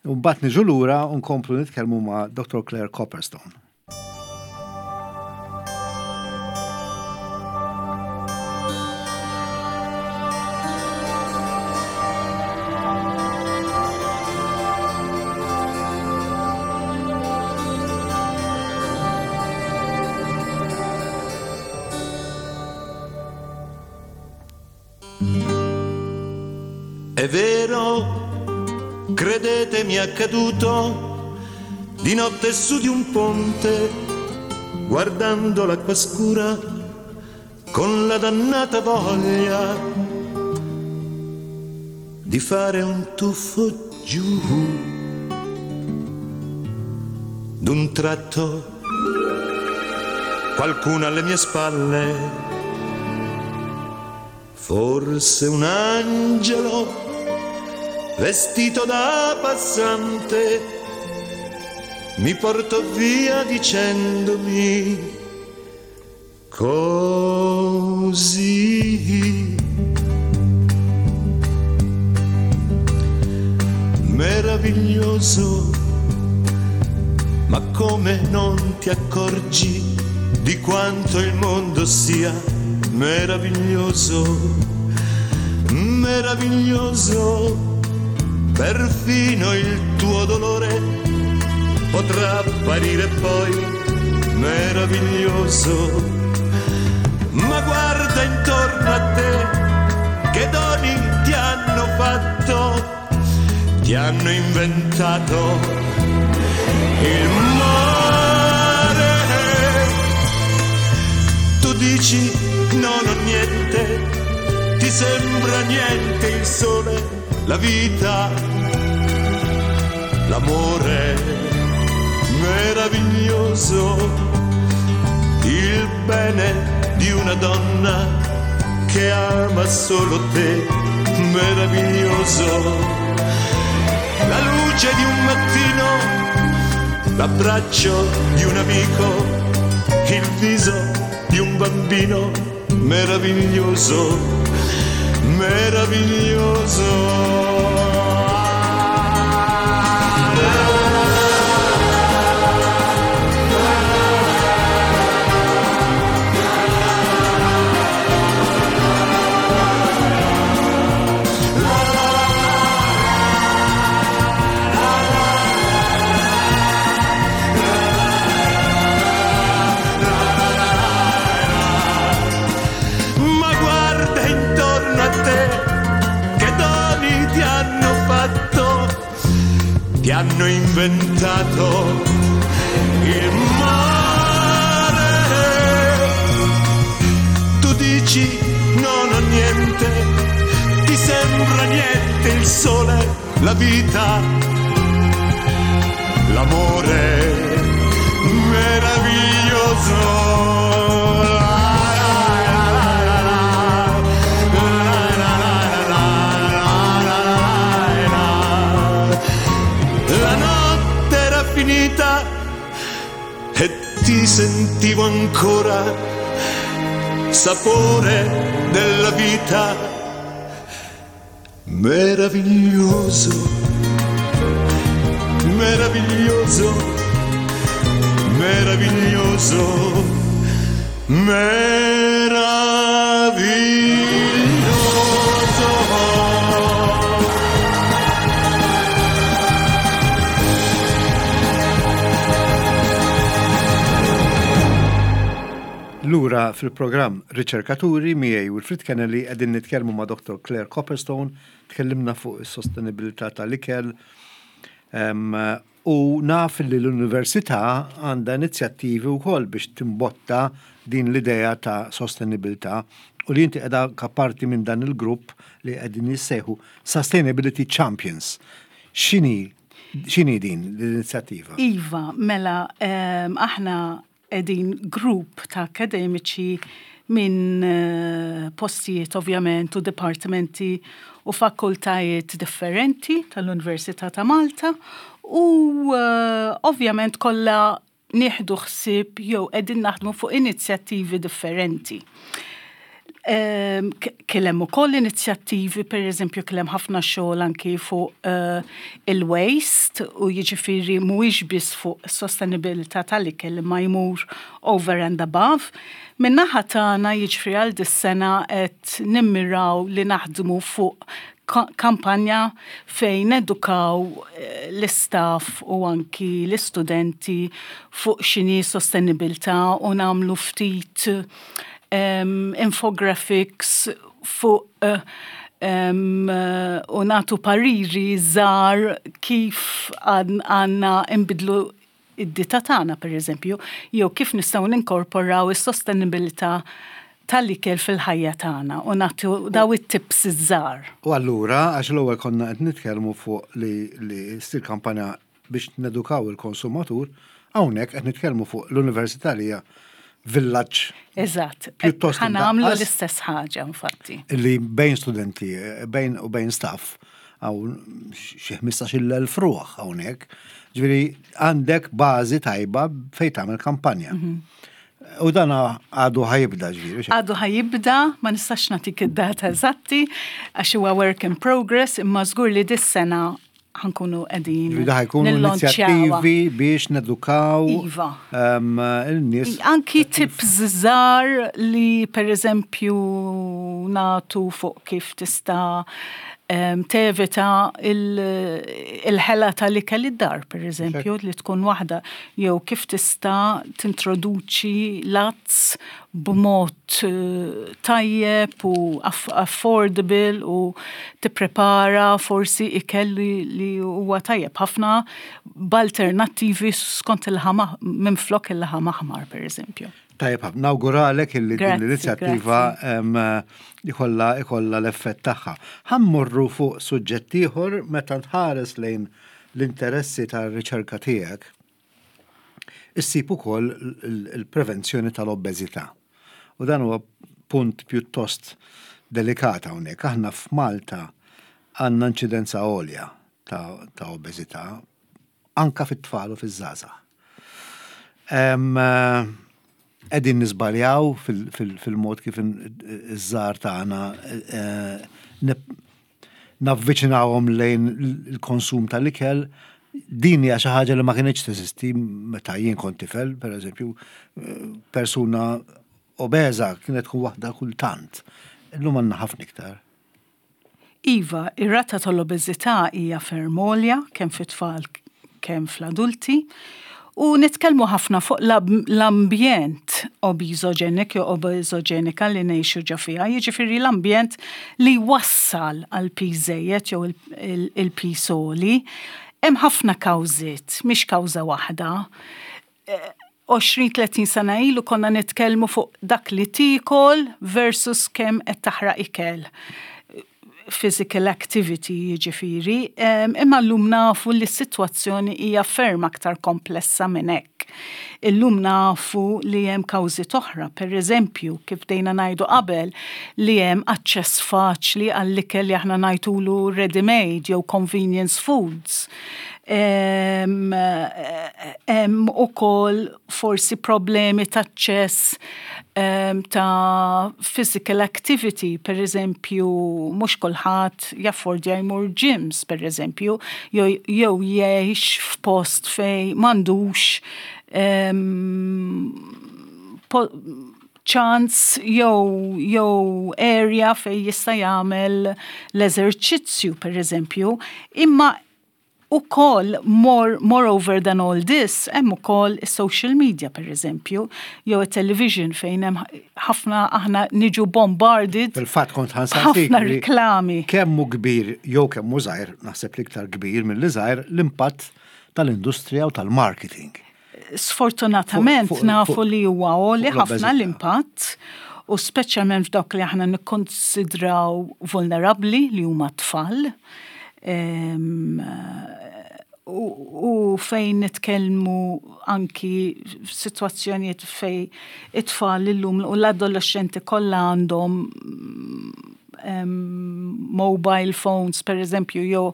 u mbagħad niġu lura u nkomplu nitkellmu ma' Doctor Clare Copperstone. È vero, credetemi, è accaduto di notte su di un ponte, guardando l'acqua scura con la dannata voglia di fare un tuffo giù. D'un tratto qualcuno alle mie spalle. Forse un angelo vestito da passante mi portò via dicendomi così. Meraviglioso, ma come non ti accorgi di quanto il mondo sia meraviglioso, meraviglioso, perfino il tuo dolore potrà apparire poi meraviglioso. Ma guarda intorno a te, che doni ti hanno fatto, ti hanno inventato il mare. Tu dici non ho niente, ti sembra niente il sole, la vita, l'amore meraviglioso, il bene di una donna che ama solo te, meraviglioso, la luce di un mattino, l'abbraccio di un amico, il viso di un bambino, meraviglioso, meraviglioso. Ti hanno inventato il mare. Tu dici non ho niente, ti sembra niente il sole, la vita, l'amore meraviglioso. E ti sentivo ancora sapore della vita, meraviglioso, meraviglioso, meraviglioso, meraviglioso. Lura fil-programm Riċerkaturi miegħi Wilfred Kennelly qegħdin nitkellmu ma' Doctor Clare Copperstone, tkellimna fuq is-sostenibilità tal-ikel u naf li l-università għandha inizjattivi wkoll biex timbotta din l-idea ta' sostenibilità u li inti qiegħda kaparti minn dan il-grupp li qegħdin jissejħu Sustainability Champions. X'inhi x'inhi din l-inizjattiva? Iva, mela aħna qegħdin grupp ta' akademiċi minn postijiet ovvjament u dipartimenti u fakultajiet differenti tal-Università ta' Malta u uh, ovvjament kollha nieħdu ħsieb jew qegħdin naħdmu fuq inizjattivi differenti. Um, Kien hemm ukoll inizjattivi, per eżempju, kien hemm ħafna xogħol anki fuq uh, il-waste u jiġifieri mhuwiex biss fuq sostenibilità tal-ikel ma jmur over and above. Min-naħa tagħna jiġifieri għal dis-sena qed nimmiraw li naħdmu fuq kampanja fejn edukaw l-istaff u anki l-istudenti fuq x'inhi sostenibilità u nagħmlu ftit Um, infographics fuq uh, um, uh, u natu pariri żgħar kif għandna nbidlu id-dieta tagħna per eżempju, jew kif nistgħu ninkorporaw is-sostenibilità tal-ikel fil-ħajja tagħna u nagħtu daw it-tips iż-żgħar. U allura għax l-ewwel konna qed nitkellmu fuq li li ssir kampanja biex nedukaw il-konsumatur, hawnhekk qed nitkellmu fuq l-università li hija villaġġ. Eżatt. Pjuttost Ħa nagħmlu imdaqqas. l-istess ħaġa, infatti. Li bejn studenti, bejn u bejn staff, hawn xi ħmistax-il elf ruħ hawnhekk. Ġifieri għandek bażi tajba fejn tagħmel kampanja. U dan għadu ħa jibda, ġifieri. Għadu ħa jibda, ma nistax nagħtik id-data eżatti, għax huwa work in progress, imma żgur li dis-sena ħa nkunu qegħdin Ġifieri da ħa jkunu nillonċjawha. inizjattivi biex nedukaw Iva. em, il-nies. Anki tips żgħar li per eżempju nagħtu fuq kif tista' em, tevita il- il-ħela tal-ikel id-dar, per eżempju, li tkun waħda, jew kif tista' tintroduċi l-għads b'mod eh, tajjeb u aff affordable u tipprepara forsi ikel li, li huwa tajjeb ħafna b'alternattivi skont il-laħam minflok il-laħam aħmar, per eżempju. Tajjeb, ħafna. Nawguralek illi din Grazzi, l-inizjattiva em, ikolla ikolla l-effett tagħha. Ħa mmorru fuq suġġett ieħor. Meta tħares lejn l-interessi tar-riċerka tiegħek, issib ukoll il- il-prevenzjoni tal-obeżità. U dan huwa punt pjuttost delikat hawnhekk. Aħna f'Malta għandna inċidenza għolja ta', ta' obeżità anka fit-tfal u fiż-żgħażagħ. Em, eh, Qegħdin niżbaljaw fil- fil- fil-mod kif in- iż-żgħar tagħna eh, nip- navviċinawhom lejn il-konsum tal-ikel. Din hija xi ħaġa li ma kienx teżisti meta jien kont tifel, per eżempju, eh, persuna obeża kienet tkun waħda kultant. Illum għandna ħafna iktar. Iva, ir-rata tal-obeżità hija ferm għolja, kemm fit-tfal kemm fl-adulti, u nitkellmu ħafna fuq l- l-ambjent obeżoġenik jew obeżoġenika li ngħixu ġo fiha, jiġifieri l-ambjent li wassal għal piż żejjed jew il- il- il-piż għoli. Hemm ħafna kawżiet, mhix kawża waħda. għoxrin tletin sena ilu konna nitkellmu fuq dak li tikol versus kemm qed taħraq ikel, physical activity jiġifieri, em, imma llum nafu li s-sitwazzjoni hija ferm aktar komplessa minn hekk. Illum nafu li hemm kawżi oħra, per eżempju, kif bdejna ngħidu qabel, li hemm aċċess faċli għall-ikel li aħna ngħidulu ready-made jew convenience foods. Hemm hemm ukoll forsi problemi ta' aċċess em, ta' physical activity, per eżempju, mhux kulħadd jaffordja jmur gyms, per eżempju, jew jew jgħix f'post fej m'għandux em, po- ċans jew jew area fej jista' jagħmel l-eżerċizzju, per eżempju, imma ukoll more, moreover than all this, hemm ukoll is-social media, per eżempju, jew it-television fejn hemm ħafna, aħna niġu bombarded Fil-fatt kont ħa nsaqsik ħafna li riklami. kemm hu kbir jew kemm hu żgħir, naħseb l-iktar kbir milli żgħir, l-impatt tal-industrija u tal-marketing. Sfortunatament Fuq- fuq- nafu fuq- li huwa għoli fuq ħafna l-obeżità. l-impatt u speċjalment f'dawk li aħna nikkonsidraw vulnerabbli, li huma tfal. Em, u, u fejn nitkellmu anki f'sitwazzjonijiet fej it-tfal illum u l-adolescenti kollha għandhom um, mobile phones, per eżempju, jew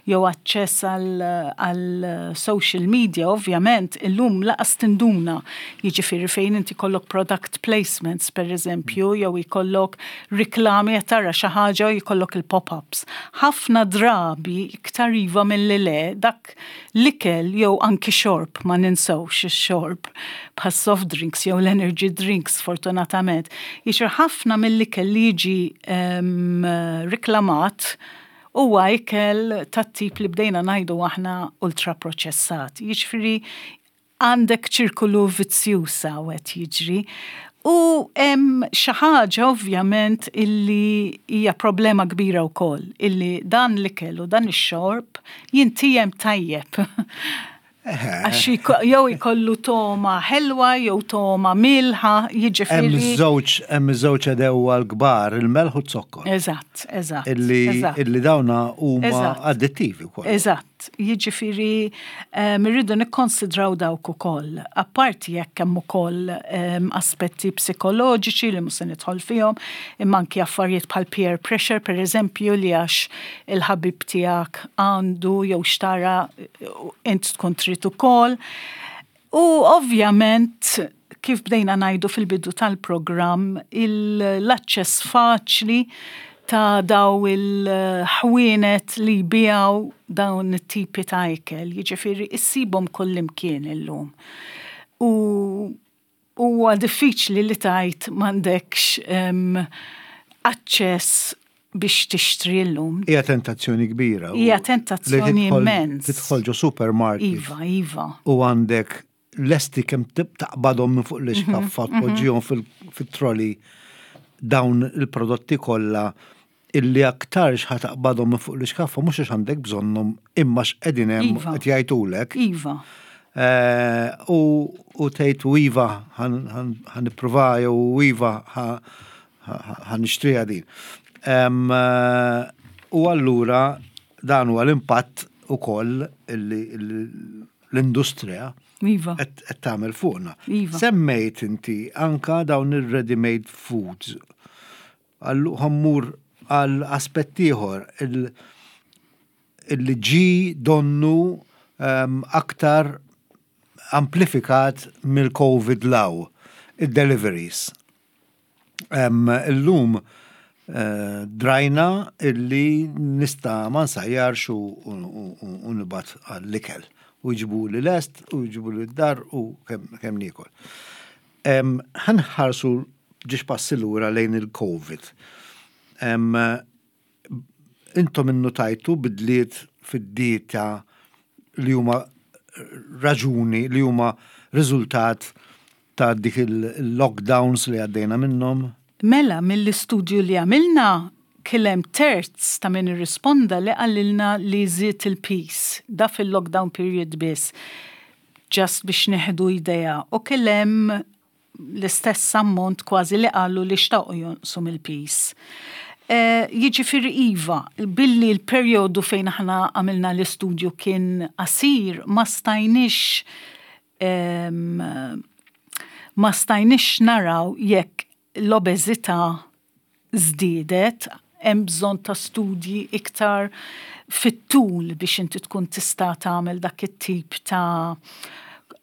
jew aċċess għal, għal social media, ovvjament, illum lanqas tinduna, jiġifieri fejn inti jkollok product placements, per eżempju, jew jkollok riklami, qed tara xi ħaġa u jkollok il-pop-ups. Ħafna drabi, iktar iva milli le, dak l-ikel jew anki xorb, ma ninsewx ix-xorb, bħal soft drinks jew l-energy drinks, fortunatament. Jiġri ħafna mill-ikel li jiġi um, riklamat huwa ikel tat-tip li bdejna ngħidu aħna ultra proċessat. Jiġifieri għandek ċirkolu vizzjuż qed jiġri. U hemm xi ħaġa ovvjament illi hija problema kbira wkoll, illi dan l-ikel u dan ix-xorb jintiegħem tajjeb. Għax jiko- jew ikollu togħma ħelwa jew togħma mielħa, Hemm jiġifieri. żewġ hemm żewġ għedewwa l-kbar, il-melħ u z-zokkor. Eżatt, eżatt. Illi eżatt. Illi dawna huma Eżatt. addittivi wkoll. Eżatt. Eżatt, jiġifieri irridu nikkonsidraw dawk ukoll. Apparti jekk hemm ukoll aspetti psikoloġiċi li mhux se nidħol fihom, imma anki affarijiet bħal peer pressure, per eżempju, li għax il-ħabib tiegħek għandu jew xtara, int tkun trid ukoll. U ovvjament, kif bdejna ngħidu fil-bidu tal-programm, l-aċċess faċli ta' daw il-ħwienet li jbigħu dawn it-tipi ta' ikel, jiġifieri issibhom kullimkien illum. U huwa diffiċli li tgħid m'għandekx aċċess biex tixtri llum. Hija tentazzjoni kbira. Hija tentazzjoni immens. Tidħol ġo supermarket. Iva, iva. U għandek lesti kemm taqbadhom minn fuq l-iskaffa, mhm, mhm. tpoġġihom fit-trolley dawn il-prodotti kollha illi aktarx ħa taqbadhom minn fuq l-iskaffa mhux għax għandek bżonnhom, imma x'qegħdin hemm Iva. qed jgħidulek. Iva. Eh, u u tgħid u iva ħa nipprova jew iva ħa nixtriha din. Em, eh, U allura dan huwa l-impatt ukoll illi l-industrija Iva. qed qed tagħmel fuqna. Iva. Semmejt inti anka dawn ir-ready-made foods. Allu ħa mmur għal aspett ieħor il- illi ġi donnu um, aktar amplifikat mill-Covid law, il-deliveries. Um, illum uh, drajna illi nista ma nsajjarx u, u, u, u nibgħat għall-ikel. U jġibu li lest, u jġibu li d-dar u kemm kem niekol. Um, ħa nħarsu żewġ passi lura lejn il-Covid. Um, intom innotajtu bidliet fid-dieta li huma raġuni, li huma riżultat ta' dik il-lockdowns li għaddejna minnhom? Mela, mill-istudju li għamilna, kien hemm terz ta' min irrisponda li qalilna li żied il-piż, da fil-lockdown period biss, just biex nieħdu idea. U kien hemm l-istess ammont kważi li qalu li xtaqu jonqsu mill-piż. Eh, Jiġifieri iva, billi l-perjodu fejn aħna għamilna l-istudju kien qasir, ma stajniex em, ma stajniex naraw jekk l-obeżità żdiedet, hemm bżonn ta' studji iktar fit-tul biex inti tkun tista' tagħmel dak it-tip ta'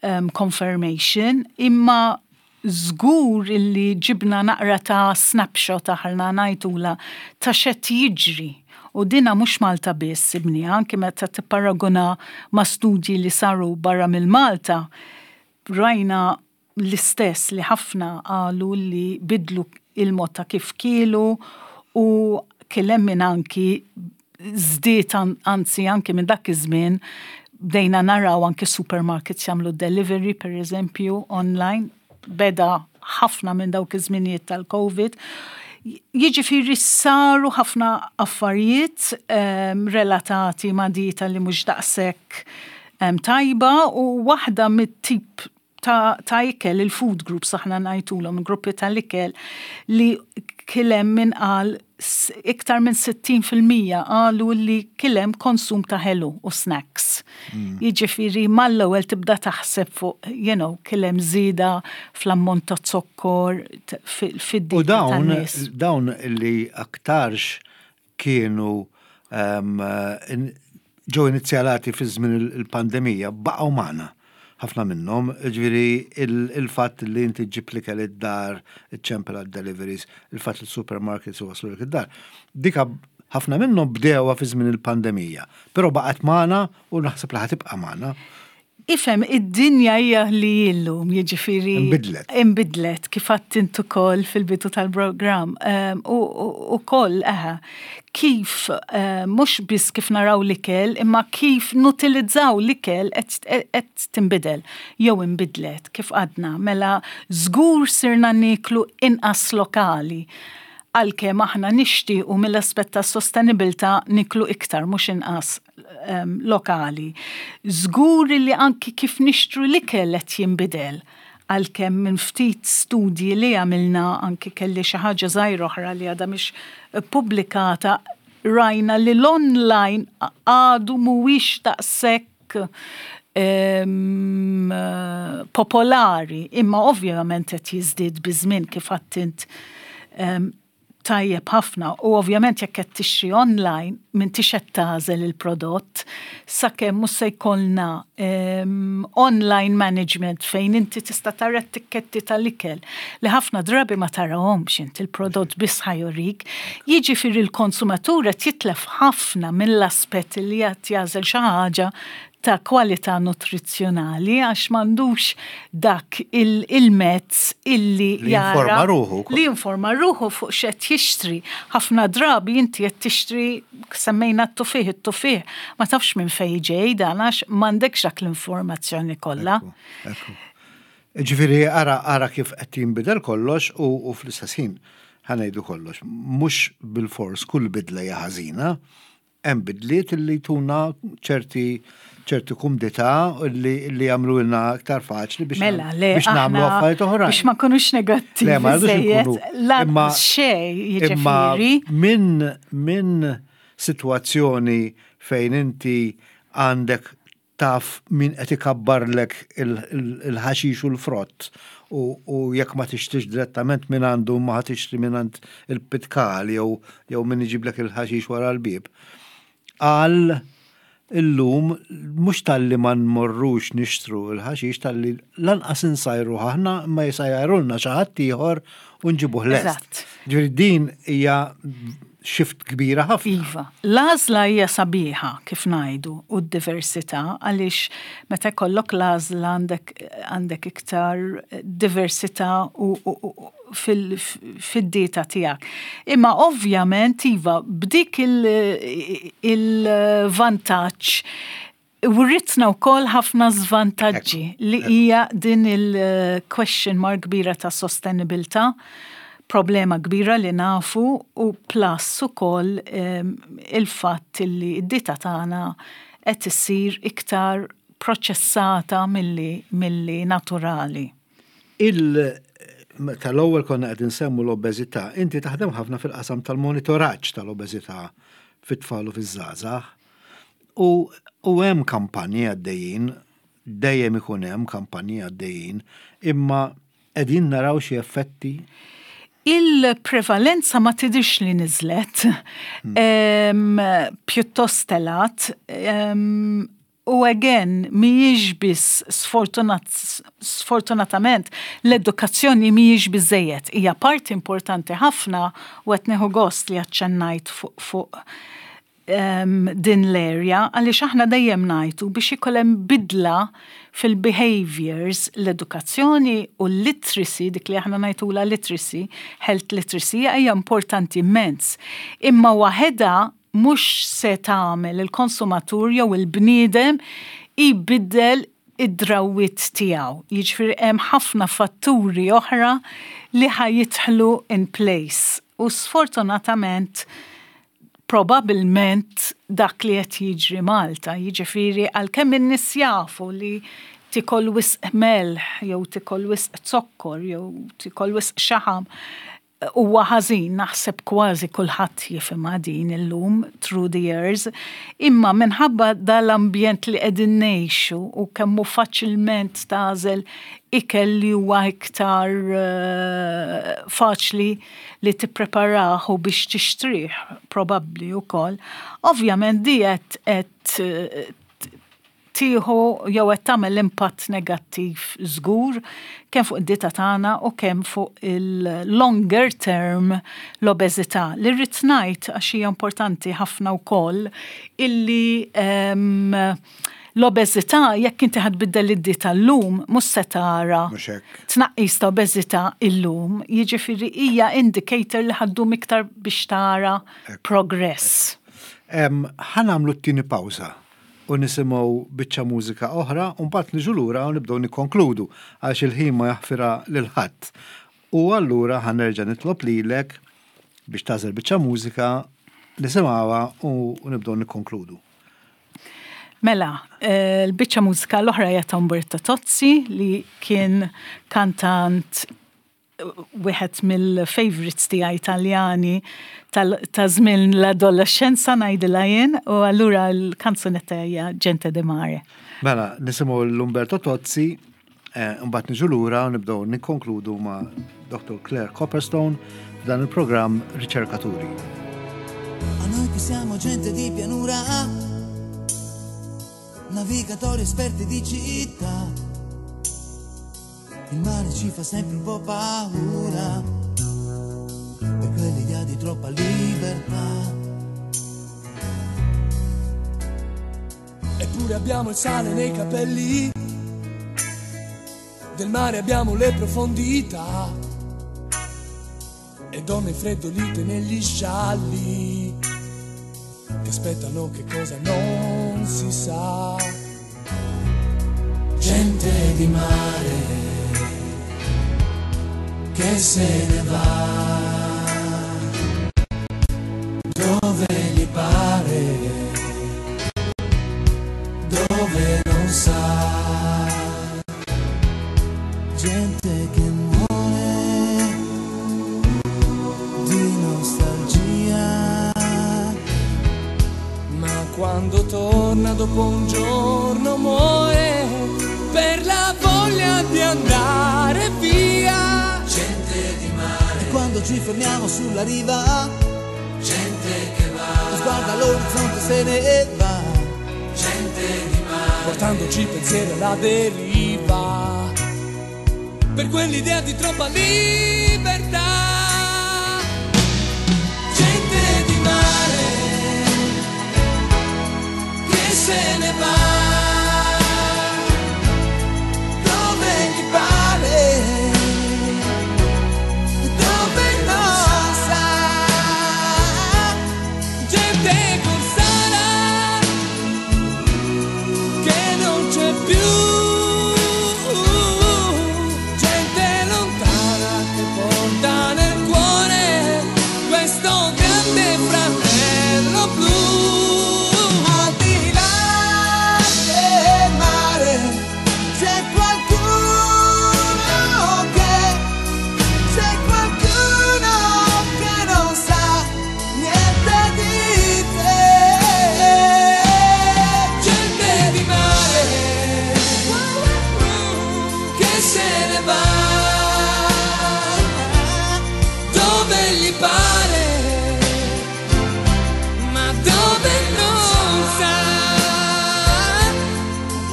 um, confirmation, imma żgur illi ġibna naqra ta' snapshot, aħna ngħidulha, ta' x'qed jiġri. U dina mhux Malta biss ibni, anki meta tipparaguna ma' studji li saru barra mill-Malta, rajna l-istess li ħafna qalu li bidlu il-mod ta' kif kielu u kien hemm min anki żdied, anzi anki minn dak iż-żmien bdejna naraw anki supermarkets jagħmlu delivery, per eżempju, online, beda ħafna minn dawk iż-żminijiet tal-Covid. Jiġifieri saru ħafna affarijiet um, relatati ma' dieta li mhux daqshekk um, tajba u waħda mit-tip ta', ta' ikel, il-food groups aħna ngħidulhom, gruppi tal-ikel, li kien hemm min qal iktar minn sittin fil-mija qalu li kien hemm konsum ta' ħelu u snacks. Mm. Jiġifieri mal-ewwel tibda taħseb fuq, you know, kien hemm żieda fl-ammont ta' zokkor fid U dawn, dawn li aktarx kienu um, ġew inizjalati fi żmien il-pandemija baqgħu magħna ħafna minnhom, ġifieri il-fatt li inti ġġib l-ikel id-dar, iċ-ċempel deliveries, il-fatt li supermarkets waslu id-dar. Dika ħafna minnhom bdewha fi żmien il-pandemija, però baqgħet magħna u naħseb li ħa tibqa' magħna. Ifhem, id-dinja hija li illum, jiġifieri. Imbidlet. Imbidlet, kif għedt int ukoll fil-bidu tal-programm. U koll, eħe, kif, mhux biss kif naraw l-ikel, imma kif nutilizzaw l-ikel qed tinbidel, jew imbidlet, kif għadna. Mela, żgur sirna niklu inqas lokali, għalkemm aħna nixtiequ mill-aspett ta' sostenibilità niklu iktar, mhux inqas um, lokali. Żgur li anki kif nixtru l-ikel qed jinbidel, għalkemm minn ftit studji li għamilna, anki kelli xi ħaġa żgħira oħra li għadha mhix pubblikata, rajna li l-online għadu mhuwiex daqshekk em, popolari, imma ovvjament qed jiżdied biż-żmien, kif għedt em, tajjeb ħafna, u ovvjament jekk qed tixtri online m'intix qed tagħżel il-prodott, sakemm mhux se jkollna um, online management fejn inti tista' tara t-tikketti tal-ikel li ħafna drabi ma tarahomx inti, il-prodott biss ħa jurik. Jiġifieri l-konsumatur qed jitlef ħafna mill-aspett li qed jagħżel xi ħaġa ta' kwalità nutrizzjonali għax m'għandux dak il-mezz illi li jinforma ruħu. Li jinforma ruħu fuq x'qed jixtri. Ħafna drabi inti qed tixtri, semmejna t-tuffiħ, it-tuffiħ, ma tafx minn fejn ġej dan għax m'għandekx dak l-informazzjoni kollha. Ġifieri ara ara kif qed jinbidel kollox u, u fl-istess ħin, ħa ngħidu kollox, mhux bil-fors kull bidla hija ħażina, hemm bidliet li tuna ċerti ċerti kumdità li, li jagħmlu aktar faċli biex Mela, le, biex nagħmlu affarijiet oħrajn. Biex ma nkunux negattivi. Le, ma rridux nkunu. Imma xej, jiġifieri. Minn min sitwazzjoni fejn inti għandek taf min qed ikabbarlek il-ħaxix u l-frott u jekk ma tixtrix direttament minn għandu, ma tixtri minn għand il-pitkal jew jew min iġiblek il-ħaxix wara l-bib. Għal illum mhux talli ma nmorrux nixtru il-ħaxix, talli lanqas insajru aħna, ma jsajjarulna xi ħadd ieħor u nġibuh lest. Ġifieri din hija shift kbira ħafna. Iva, l-għażla hija sabiħa, kif ngħidu, u d-diversità, għaliex meta jkollok l-għażla għandek għandek iktar diversità u, u, u fil-dieta tiegħek. Imma ovvjament iva, b'dik il-vantaġġ writna wkoll ħafna żvantaġġi li hija din il-question mark kbira ta' sostenibilità, problema kbira li nafu, u plus ukoll il-fatt li d-dieta tagħna qed issir iktar proċessata milli, milli naturali. Il tal-ewwel konna qed insemmu l-obeżità, inti taħdem ħafna fil-qasam tal-monitoraġġ tal-obeżità fit-tfal u fiż-żgħażagħ. U, u hemm kampanji għaddejjin, dejjem ikun hemm kampanji għaddejjin, imma qegħdin naraw xi effetti? Il-prevalenza ma tidhirx li niżlet, hmm. pjuttost telgħet, u again, mhijiex biss, sfortunatament, l-edukazzjoni mhijiex biżżejjed. Hija parti importanti ħafna u qed nieħu gost li aċċennajt fuq fu, um, din l-area, għaliex aħna dejjem ngħidu biex ikun hemm bidla fil-behaviors, l-edukazzjoni u l-literacy, dik li aħna ngħidulha literacy, health literacy, hija importanti immens. Imma waħedha mhux se tagħmel il-konsumatur jew il-bniedem ibiddel id-drawwiet tiegħu. Jiġifieri hemm ħafna fatturi oħra li ħa jidħlu in place. U sfortunatament probabilment dak li qed jiġri Malta, jiġifieri għalkemm in-nies jafu li tikol wisq melħ jew tikol wisq zokkor jew tikol wisq xaħam huwa ħażin, naħseb kważi kulħadd jifhimha din illum through the years, imma minħabba dal-ambjent li qegħdin ngħixu u kemm hu faċilment tagħżel ikel li huwa iktar uh, faċli li tippreparah u biex tixtrih probabbli wkoll. Ovvjament di qed tieħu jew qed tagħmel impatt negattiv żgur kemm fuq id-dieta tagħna u kemm fuq il-longer term l-obeżità. Li rrid ngħid, għax hija importanti ħafna wkoll, illi um, l-obeżità, jekk inti ħa tbiddel id-dieta llum, mhux se tara tnaqqis ta' obeżità illum, jiġifieri hija indicator li ħa ddum iktar biex tara progress. Ħa nagħmlu t-tieni pawża u nisimgħu biċċa mużika oħra u mbagħad niġu lura u nibdew nikkonkludu, għax il-ħin ma jaħfira lil ħadd. U allura ħa nerġa' nitlob lilek biex tagħżel biċċa mużika, nisimgħuha u nibdew nikkonkludu. Mela, eh, l-biċċa mużika l-oħra hija ta' Umberto Tozzi, li kien kantant wieħed mill-favorites tiegħi Italjani ta' żmien l-adolescenza ngħidilha jien, u allura l-kanzunetta hija Gente di Mare. Mela, nisimgħu l-Umberto Tozzi, eh, mbagħad niġu lura u nibdew nikkonkludu ma' Doctor Claire Copperstone f'dan il-programm Riċerkaturi. A noi che siamo gente di pianura, navigatori esperti di città, il mare ci fa sempre un po' paura, per quell'idea di troppa libertà. Eppure abbiamo il sale nei capelli, del mare abbiamo le profondità, e donne freddolite negli scialli, che aspettano che cosa non si sa. Gente di mare che se ne va dove gli pare, dove non sa. Gente che muore di nostalgia, ma quando torna dopo un giorno muore per la voglia di andare via. Gente di mare, e quando ci fermiamo sulla riva, gente che va, sguarda l'orizzonte se ne va. Gente di mare, portandoci pensieri alla deriva, per quell'idea di troppa libertà. Gente di mare che se ne va dove gli pare, dove non sa. Gente corsara che non c'è più, gente lontana che porta nel cuore questo grande fratello blu. Al di là del mare c'è qualcuno che, c'è qualcuno che non sa niente di te. Gente di mare che se ne va dove gli pare, ma dove non sa.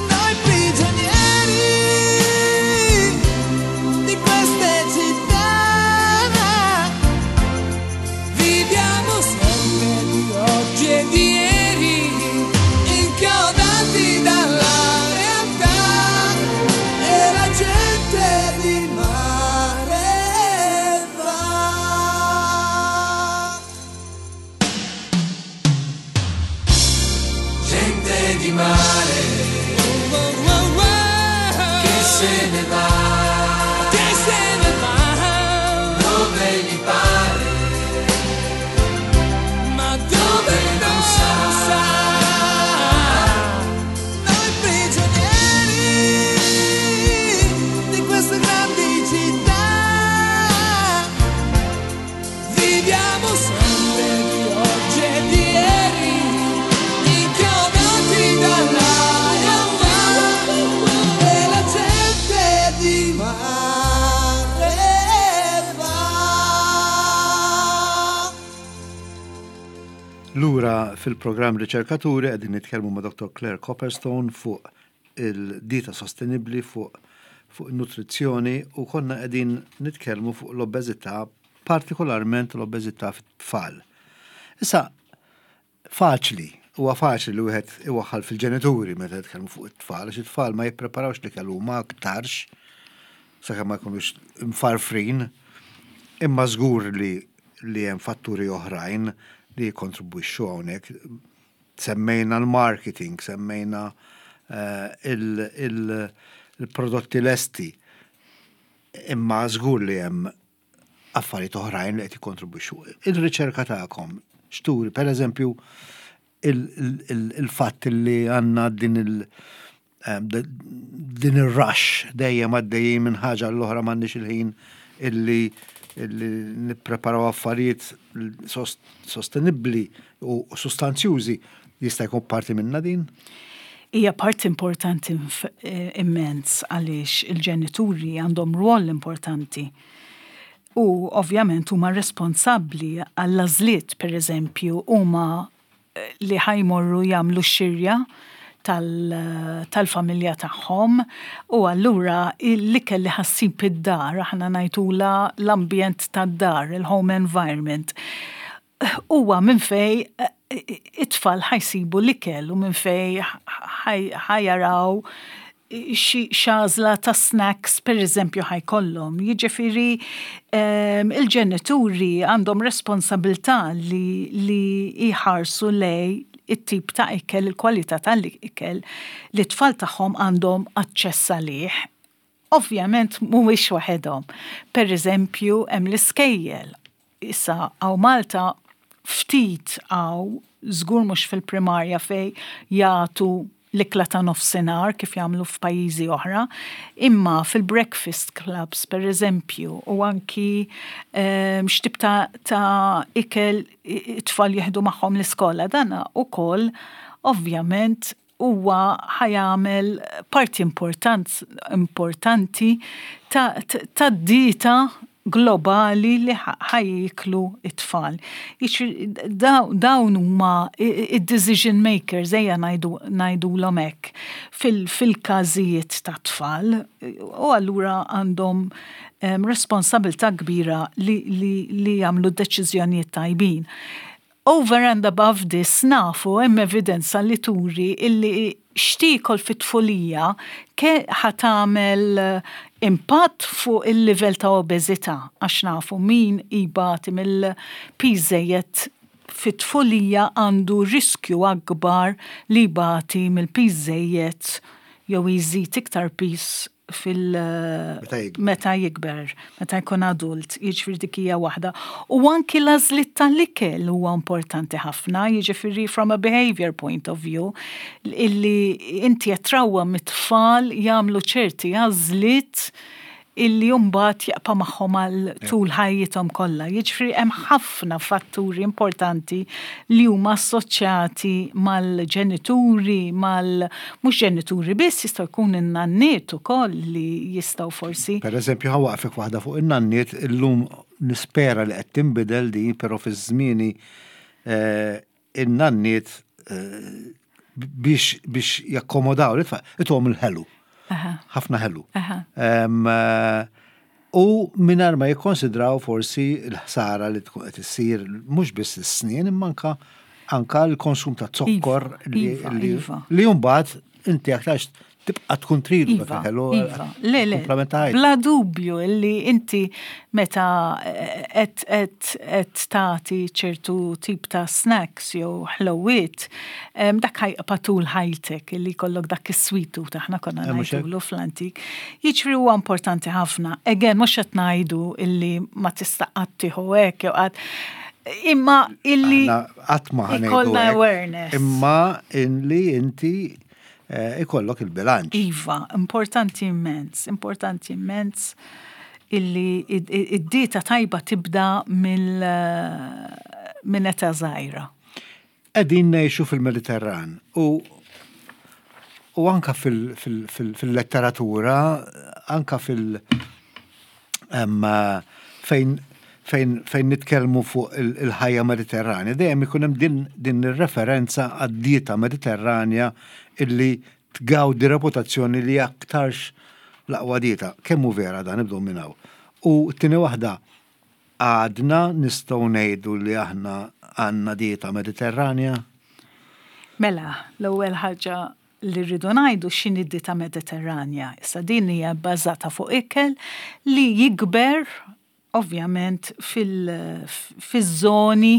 Noi prigionieri di queste città, viviamo sempre di oggi e di ieri, inchiodati dalla realtà. E la gente di mare va. Gente di mare Oh, oh, oh, che se ne va che se ne va, dove gli pare, ma dove non sa. Noi prigionieri di queste grandi città, Viviamo sempre di oggi e di ieri, inchiodati dalla realtà. E la gente di mare va. Lura fil-programm Riċerkaturi qegħdin nitkellmu ma' Doctor Claire Copperstone fuq il-dieta sostenibbli, fuq fuq nutrizzjoni, u konna qegħdin nitkellmu fuq l-obeżità, partikolarment l-obeżità fit-tfal. Issa, faċli, huwa faċli li wieħed iwaħħal fil-ġenituri meta nitkellmu fuq it-tfal, għax it-tfal ma jippreparawx li kellu ma aktarx, sakemm ma jkunux mfarfrin, imma żgur li li hemm fatturi oħrajn li jikkontribwixxu hawnhekk. Semmejna l-marketing, semmejna eh, il- il- il-prodotti lesti, imma żgur li hemm affarijiet oħrajn li qed jikkontribwixxu. Il-riċerka tagħkom x'turi, per eżempju, il-fatt li għandna din il- din il-rush dejjem għaddejjin minn ħaġa l-oħra, m'għandniex il-ħin illi illi nippreparaw affarijiet sostenibbli u sustanzjużi jista' jkun parti minna din? Hija parti importanti immens għaliex il-ġenituri għandhom rwol importanti. U ovvjament huma responsabbli għall-għażliet, per eżempju, huma li ħa jmorru jagħmlu xirja tal-familja tagħhom u allura l-ikel li ħa ssib id-dar, aħna ngħidulha l-ambjent tad-dar, il-home environment, huwa minn fej it-tfal ħa jsibu l-ikel u minn fej ħa jaraw x'għażla ta' snacks per eżempju ħa jkollhom. Jiġifieri il-ġenituri għandhom responsabilità li, li jħarsu lej it-tip ta' ikel, il-kwalità tal-ikel li t-tfal tagħhom għandhom aċċess għalih. Ovvjament mhuwiex waħedhom. Per eżempju, hemm l-iskejjel. Issa hawn Malta ftit hawn żgur mhux fil-primarja fej jagħtu l-ikla ta' nofsinhar kif jagħmlu f'pajjiżi oħra, imma fil-breakfast clubs per eżempju u anki um, x'tip ta', ta' ikel it-tfal jieħdu magħhom l-iskola dana ukoll ovvjament huwa ħa jagħmel parti important, importanti ta', ta' dieta globali li ħa jieklu it-tfal. Dawn huma id-decision makers, ejja ngħidulhom hekk, fil-każijiet ta' tfal, u allura għandhom responsabilità kbira li, li, li jagħmlu deċiżjonijiet tajbin. Over and above this nafu hemm evidenza li turi illi x'tiekol fit-tfulija ke ħa tagħmel impatt fuq il-livell ta' obeżità, għax nafu min ibati mill-piż żejjed fit-tfulija għandu riskju akbar li jbati mill-piż żejjed jew jżid iktar piż fil meta jikber, meta jkun adult, jiġifieri dik hija waħda. U anki l-għażliet tal-ikel huwa importanti ħafna, jiġifieri from a behavior point of view, illi inti qed trawwem it-tfal jagħmlu ċerti għażliet illi mbagħad jibqa' magħhom għal tul ħajjithom kollha. Jiġifieri hemm ħafna fatturi importanti li huma assoċjati mal-ġenituri, mal mhux ġenituri biss, jistgħu jkun in-nanniet ukoll li jistgħu forsi. Per eżempju, ħa nwaqqfek waħda fuq in-nanniet, illum nispera li qed tinbidel din, però fi żmieni eh, in-nanniet eh, biex biex jakkomodaw l-itfal, ituhom il-ħelu. Ħafna ħelu. U mingħajr ma jikkonsidraw forsi l-ħsara li tkun qed issir mhux biss is-snien imma anka anka l-konsum ta' zokkor li Iva, iva. li mbagħad inti aktarx tibqa' tkun tridu dak Iva, il-ħelu. iva. Le, le, kumplament ta' ħajtek. Bla dubju illi inti meta qed qed qed tagħti ċertu tip ta' snacks jew ħlowiet, em, dak ħa jibqa' tul ħajtek illi jkollok dak is-sweet tooth aħna konna Eh, mhux hekk? ngħidulu fl-antik. Jiġifieri huwa importanti ħafna. Again, mhux qed ngħidu illi ma tista' qatt tieħu hekk jew qatt imma illi Aħna qatt ma ħa ngħidu ikollna hekk, awareness. Imma illi inti eh, ikollok il-bilanċ. Iva, importanti immens, importanti immens illi id-dieta tajba tibda mill minn età żgħira. Qegħdin ngħixu fil-Mediterran u u anka fil- fil- fil- fil-letteratura, anka fil- em, fejn fejn fejn nitkellmu fuq il- il-ħajja Mediterranja, dejjem ikun hemm din din ir-referenza għad-dieta Mediterranja illi tgawdi reputazzjoni li aktarx l-aqwa dieta. Kemm hu vera dan nibdew minn hawn. U t-tieni waħda għadna nistgħu ngħidu li aħna għandna dieta Mediterranja? Mela, l-ewwel ħaġa li rridu ngħidu x'inhi d-dieta Mediterranja. Issa din hija bbażata fuq ikel li jikber ovvjament fil-żoni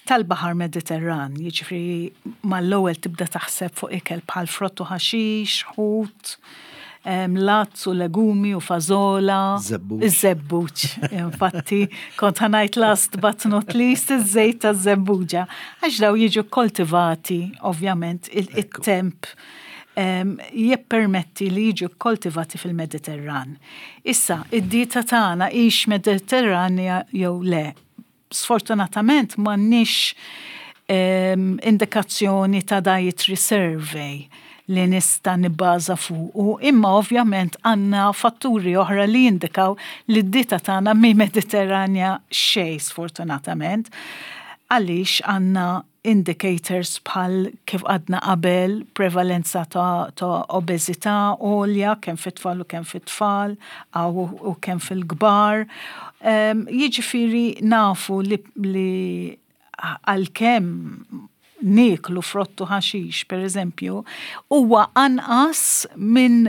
tal-Baħar Mediterran. Jiġifieri mal-ewwel tibda taħseb fuq ikel bħal frott u ħaxix, ħut, em, latz u legumi u fażola. Żebbuġ. Iż-żebbuġ. Infatti, kont ħa ngħid last but not least, iż-żejt taż-żebbuġa. Għax daw jiġu koltivati, ovvjament, il-temp Jippermetti li jiġu koltivati fil-Mediterran. Issa, id-dieta tagħna hix Mediterranja jew le? Sfortunatament m'għandniex indikazzjoni ta' dietary survey li nista' nibbaża fuq, imma ovvjament għandna fatturi oħra li jindikaw li d-dieta tagħna mhi Mediterranja xejn, sfortunatament, għaliex għandna indicators bħal kif għadna qabel, prevalenza ta', ta obeżità għolja, kemm fit-tfal u kemm fit-tfal, u kemm fil-kbar. Um, jiġifieri nafu li, li għalkemm nieklu frott u ħaxix, per eżempju, huwa anqas minn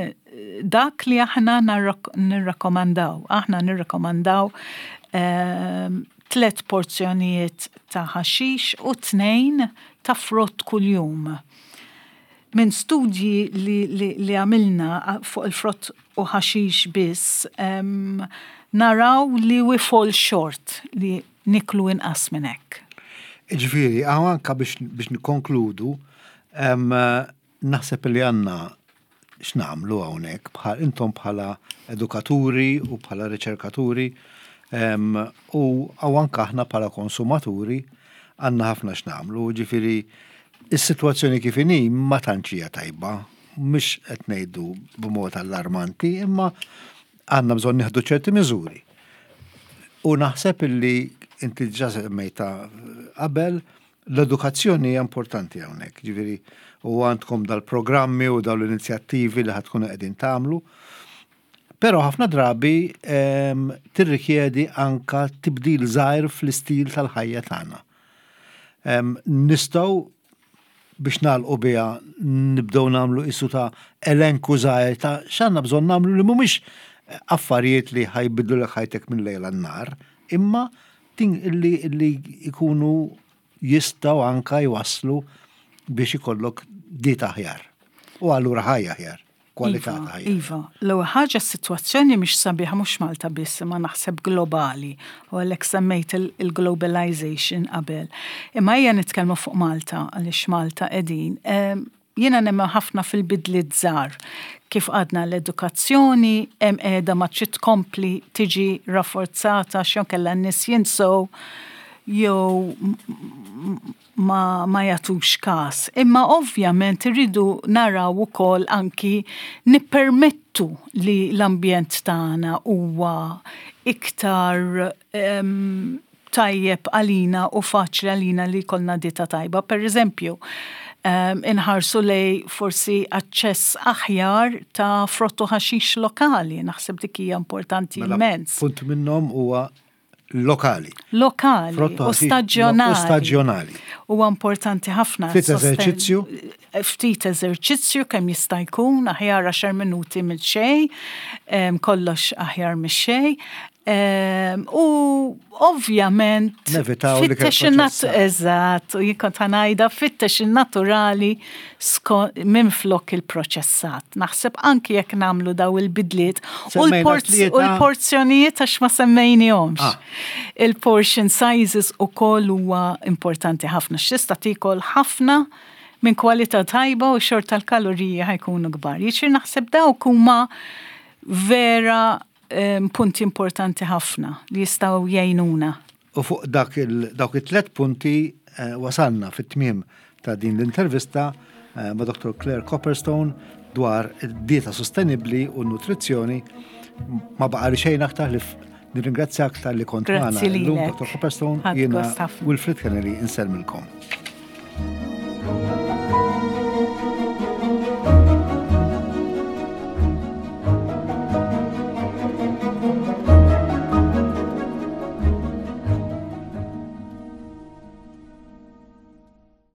dak li aħna nirrakkomandaw. Aħna nirrakkomandaw um, tlet porzjonijiet ta' ħaxix u tnejn ta' frott kuljum. Minn studji li, li, li għamilna fuq il-frott u ħaxix biss, um, naraw li we fall short, li nieklu inqas minn hekk. Ġifieri, hawn anka biex, biex nikonkludu, um, naħseb li għandna x'nagħmlu hawnhekk bħal intom bħala edukaturi u bħala riċerkaturi um, u hawn anka aħna bħala konsumaturi għandna ħafna x'nagħmlu, ġifieri is-sitwazzjoni kif inhi ma tantx hija tajba, mhux qed ngħidu b'mod allarmanti, imma għandna bżonn nieħdu ċerti miżuri. U naħseb illi inti ġa semmejta qabel, l-edukazzjoni hija importanti hawnhekk, ġifieri u għandkom dal-programmi u dawn l-inizjattivi li ħa tkunu qegħdin tagħmlu. Però ħafna drabi em, tirrikjedi anka tibdil żgħir fl-istil tal-ħajja tagħna. Em, Nistgħu biex nagħlqu biha nibdew nagħmlu isu ta' elenku żgħir ta' x'għandna bżonn nagħmlu li mhumiex affarijiet li ħa jbiddlu lek ħajtek minn lejl għan-nhar, imma tin li, li ikunu jistgħu anka jwasslu biex ikollok dieta aħjar. U allura ħajja aħjar, kwalità Iva, ta' ħajja. Iva, l-ewwel ħaġa, s-sitwazzjoni mhix sabiħa mhux Malta biss, imma naħseb globali, u għalhekk semmejt il- il-globalization qabel. Imma ejja nitkellmu fuq Malta, għaliex Malta qegħdin. Em, Jiena nemmen ħafna fil-bidliet żgħar. Kif għadna, l-edukazzjoni hemm qiegħda ma trid tkompli tiġi rafforzata x'jon kellha n-nies jinsew jew ma, ma jagħtux kas. Imma ovvjament irridu naraw ukoll anki nippermettu li l-ambjent tagħna huwa iktar um, tajjeb għalina u faċli għalina li jkollna dieta tajba. Per eżempju, um, inħarsu lej forsi aċċess aħjar ta' frott u ħaxix lokali, naħseb dik hija importanti Mela, immens. punt minnhom huwa lokali. Lokali Frott u u ħaxix staġjonali. U staġjonali. Huwa importanti ħafna. Ftit Sosten- eżerċizzju? Ftit eżerċizzju kemm jista' jkun, aħjar għaxar minuti minn xejn, em, kollox aħjar minn xejn. Em, U ovvjament Nevitaw li fittex in-nat- proċessat. Eżatt, u jien kont ħa ngħidha, fittex il-naturali minn flok il-proċessat. Naħseb anki jekk nagħmlu daw il-bidliet u Semmejna l-porz- tlieta. u l-porzjonijiet, għax ma semmejnihomx. Ah. Il-portion sizes ukoll huwa importanti ħafna. X'tista' tiekol ħafna minn kwalità tajba u xorta l-kaloriji ħa jkunu kbar. Jiġifieri naħseb dawk huma vera em, punti importanti ħafna li jistgħu jgħinuna. U fuq dak il, dawk it-tlet punti eh, wasalna fit-tmiem ta' din l-intervista eh, ma' Doktor Claire Copperstone dwar id-dieta sostenibli u nutrizzjoni. Ma baqa li xejn aktar li nirringrazzjak talli kont Grazzi magħna illum, lilek. Doktor Copperstone, Ħadt jiena gost ħafna. Wilfred Kennedy insellmilkom.